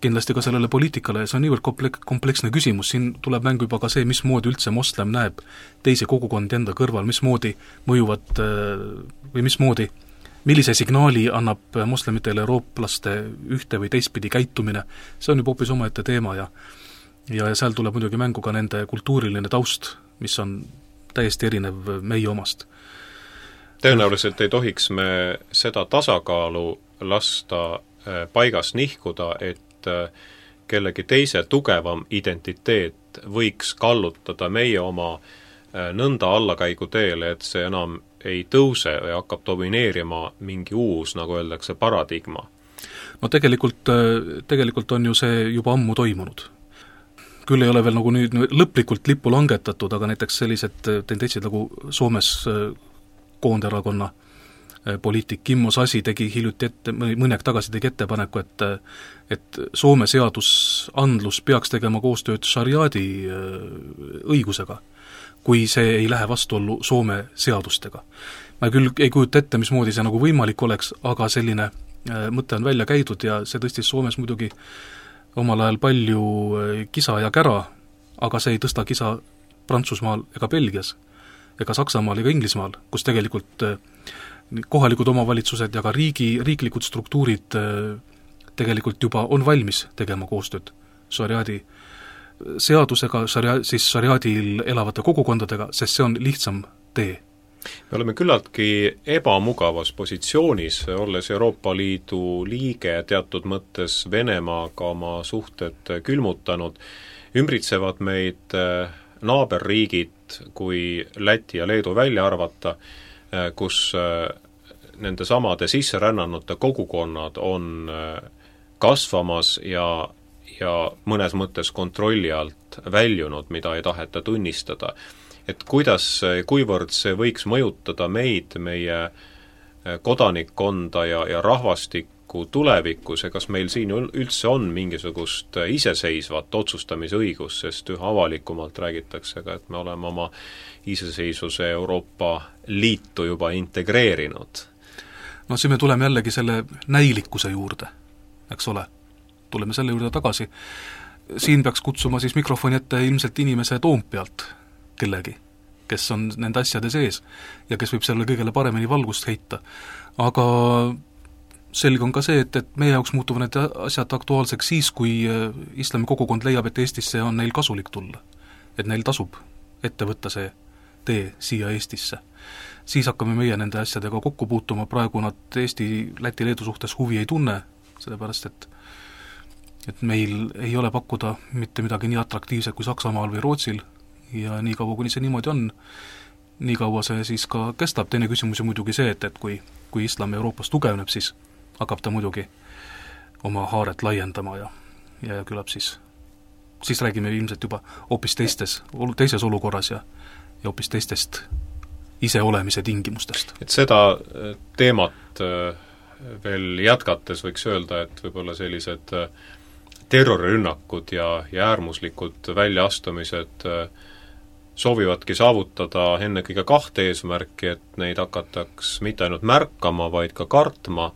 Kindlasti ka sellele poliitikale ja see on niivõrd kompleksne küsimus, siin tuleb mängu juba ka see, mismoodi üldse moslem näeb teisi kogukondi enda kõrval, mismoodi mõjuvad või mismoodi, millise signaali annab moslemitele eurooplaste ühte või teistpidi käitumine, see on juba hoopis omaette teema ja seal tuleb muidugi mängu ka nende kultuuriline taust, mis on täiesti erinev meie omast.
Tõenäoliselt ei tohiks me seda tasakaalu lasta paigas nihkuda, et kellegi teise tugevam identiteet võiks kallutada meie oma nõnda allakäigu teele, et see enam ei tõuse ja hakkab domineerima mingi uus, nagu öeldakse, paradigma.
No tegelikult on ju see juba ammu toimunud. Küll ei ole veel nagu nüüd lõplikult lippu langetatud, aga näiteks sellised tendentsid nagu Soomes Koonderakonna poliitik Kimmo Sasi tegi hiljuti mõni aeg tagasi tegi ettepaneku, et Soome seadusandlus peaks tegema koostööd šariaadi õigusega, kui see ei lähe vastuollu Soome seadustega. Ma küll ei kujuta ette, mismoodi see nagu võimalik oleks, aga selline mõte on välja käidud ja see tõstis Soomes muidugi omal ajal palju kisa ja kära, aga see ei tõsta kisa Prantsusmaal ega Belgias ega Saksamaal ega Inglismaal, kus tegelikult kohalikud omavalitsused ja ka riiklikud struktuurid tegelikult juba on valmis tegema koostööd šariaadi seadusega, siis šariaadil elavate kogukondadega, sest see on lihtsam tee.
Me oleme küllaltki ebamugavas positsioonis, olles Euroopa Liidu liige teatud mõttes Venemaaga oma suhted külmutanud, ümbritsevad meid naaberriigid, kui Läti ja Leedu välja arvata, kus nende samade sisserännanute kogukonnad on kasvamas ja mõnes mõttes kontrolli alt väljunud, mida ei taheta tunnistada. Et kuivõrd see võiks mõjutada meid, meie kodanikkonda ja rahvastikku tulevikus ja kas meil siin üldse on mingisugust iseseisvat otsustamisõigust, sest üha avalikumalt räägitakse ka, et me oleme oma iseseisvuse Euroopa Liitu juba integreerinud.
No siin me tuleme jällegi selle näilikkuse juurde, eks ole. Tuleme selle juurde tagasi. Siin peaks kutsuma siis mikrofoni ette ilmselt inimese Toompealt kellegi, kes on nende asjade sees ja kes võib selle kõigele paremini valgust heita. Aga selge on ka see, et meie jaoks muutuvad need asjad aktuaalseks siis, kui islami kogukond leiab, et Eestisse on neil kasulik tulla. Et neil tasub ette võtta see tee siia Eestisse. Siis hakkame meie nende asjadega kokku puutuma, praegu nad Eesti, Läti, Leedu suhtes huvi ei tunne, sellepärast et meil ei ole pakkuda mitte midagi nii atraktiivset kui Saksamaal või Rootsil ja nii kaua, kuni see niimoodi on, nii kaua see siis ka kestab. Teine küsimus on muidugi see, et kui islam Euroopas tugevneb, siis hakkab ta muidugi oma haaret laiendama ja küllap siis räägime ilmselt juba hoopis teises olukorras ja hoopis teistest iseolemise tingimustest. Et
seda teemat veel jätkates võiks öelda, et võib-olla sellised terrorirünnakud ja äärmuslikud väljaastumised soovivadki saavutada ennekõige kahte eesmärki, et neid hakataks mitte ainult märkama, vaid ka kartma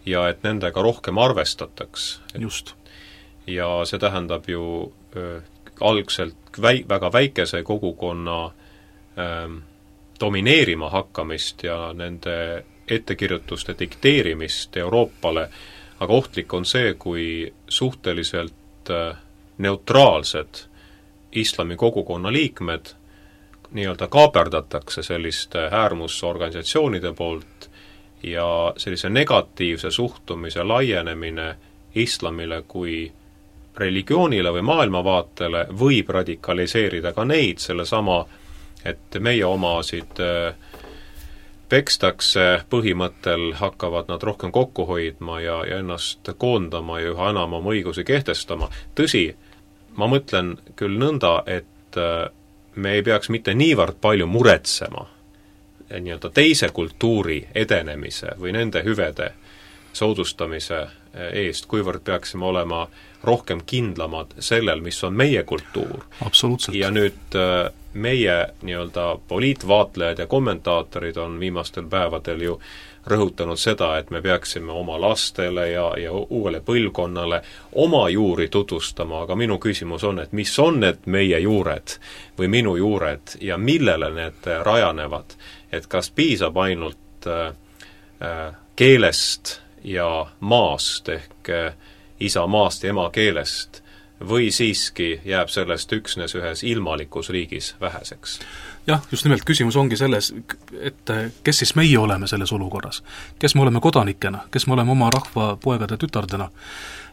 ja et nendega rohkem arvestataks.
Just.
Ja see tähendab ju algselt väga väikese kogukonna domineerima hakkamist ja nende ettekirjutuste dikteerimist Euroopale, aga ohtlik on see, kui suhteliselt neutraalsed islami kogukonna liikmed nii-öelda kaaperdatakse selliste äärmusorganisatsioonide poolt ja sellise negatiivse suhtumise laienemine islamile kui religioonile või maailmavaatele võib radikaliseerida ka neid sellesama, et meie omasid pekstakse põhimõttel, hakkavad nad rohkem kokku hoidma ja ennast koondama ja üha enam oma õigusi kehtestama. Tõsi, ma mõtlen küll nõnda, et me ei peaks mitte niivõrd palju muretsema nii-öelda teise kultuuri edenemise või nende hüvede soodustamise eest, kuivõrd peaksime olema rohkem kindlamad sellel, mis on meie kultuur.
Absoluutselt.
Ja nüüd meie nii-öelda poliitvaatlejad ja kommentaatorid on viimastel päevadel ju rõhutanud seda, et me peaksime oma lastele ja uuele põlvkonnale oma juuri tutvustama, aga minu küsimus on, et mis on need meie juured või minu juured ja millele need rajanevad, et kas piisab ainult keelest ja maast ehk isa maast ja ema keelest või siiski jääb sellest üksnes ühes ilmalikus riigis väheseks?
Jah, just nimelt küsimus ongi selles, et kes siis meie oleme selles olukorras. Kes me oleme kodanikena, kes me oleme oma rahva poegade tütardena.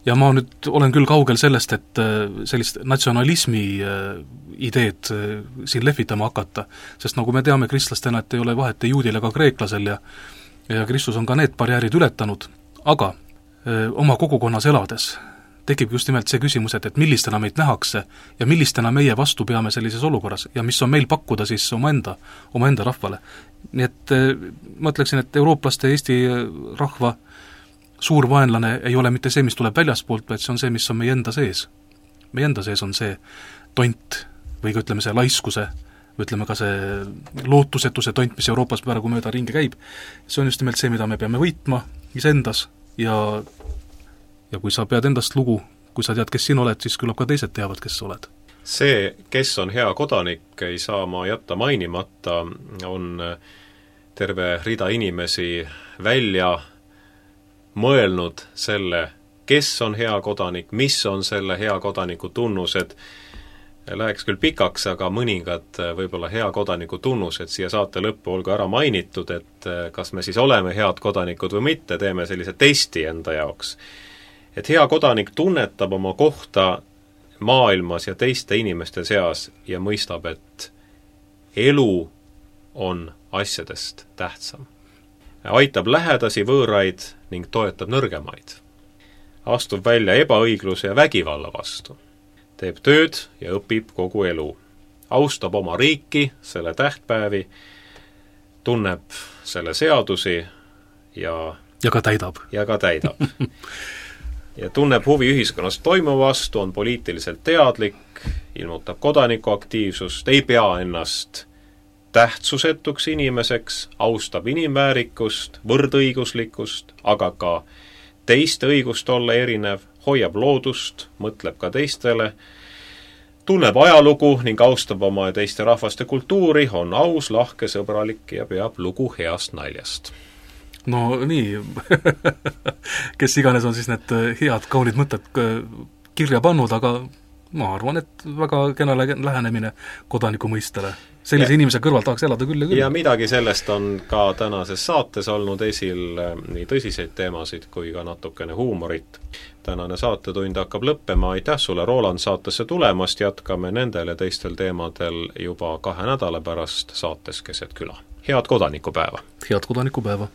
Ja ma nüüd olen küll kaugel sellest, et sellist natsionalismi ideed siin lehvitama hakata, sest nagu me teame kristlastena, et ei ole vahet ei juudil ega kreeklasel ja Kristus on ka need barjäärid ületanud, aga oma kogukonnas elades tekib just nimelt see küsimus, et millistena meid nähakse ja millistena meie vastu peame sellises olukorras ja mis on meil pakkuda siis omaenda rahvale. Nii et ma ütleksin, et eurooplaste Eesti rahva suur vaenlane ei ole mitte see, mis tuleb väljaspoolt, vaid see on see, mis on meie enda sees. Meie enda sees on see tont või ka ütleme see laiskuse, ütleme ka see lootusetuse tont, mis Euroopas praegu mööda ringi käib. See on just nimelt see, mida me peame võitma iseendas ja kui sa pead endast lugu, kui sa tead, kes sina oled, siis küllap ka teised teavad, kes sa oled.
See, kes on hea kodanik, ei saa ma jätta mainimata, on terve rida inimesi välja mõelnud selle, kes on hea kodanik, mis on selle hea kodaniku tunnused. Läheks küll pikaks, aga mõningad võib-olla hea kodaniku tunnused siia saate lõppu olgu ära mainitud, et kas me siis oleme head kodanikud või mitte, teeme sellise testi enda jaoks. Et hea kodanik tunnetab oma kohta maailmas ja teiste inimeste seas ja mõistab, et elu on asjadest tähtsam. Aitab lähedasi võõraid ning toetab nõrgemaid. Astub välja ebaõigluse ja vägivalla vastu. Teeb tööd ja õpib kogu elu. Austab oma riiki, selle tähtpäevi, tunneb selle seadusi ja
ka täidab.
Ja tunneb huvi ühiskonnas toimuva vastu, on poliitiliselt teadlik, ilmutab kodanikuaktiivsust, ei pea ennast tähtsusetuks inimeseks, austab inimväärikust, võrdõiguslikkust, aga ka teiste õigust olla erinev, hoiab loodust, mõtleb ka teistele, tunneb ajalugu ning austab oma ja teiste rahvaste kultuuri, on aus, lahke, sõbralik ja peab lugu heast naljast.
No nii, kes iganes on siis need head kaunid mõtted kirja pannud, aga ma arvan, et väga kena lähenemine kodaniku mõistele. Sellise inimese kõrval tahaks elada küll ja küll.
Ja midagi sellest on ka tänases saates olnud esil nii tõsiseid teemasid kui ka natukene huumorit. Tänane saatetund hakkab lõppema. Aitäh sulle, Roland, saatesse tulemast. Jätkame nendel ja teistel teemadel juba 2 nädala pärast saates Keset küla. Head kodanikupäeva!
Head kodanikupäeva!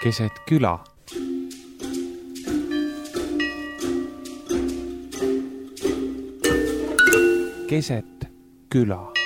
keset küla. Keset küla.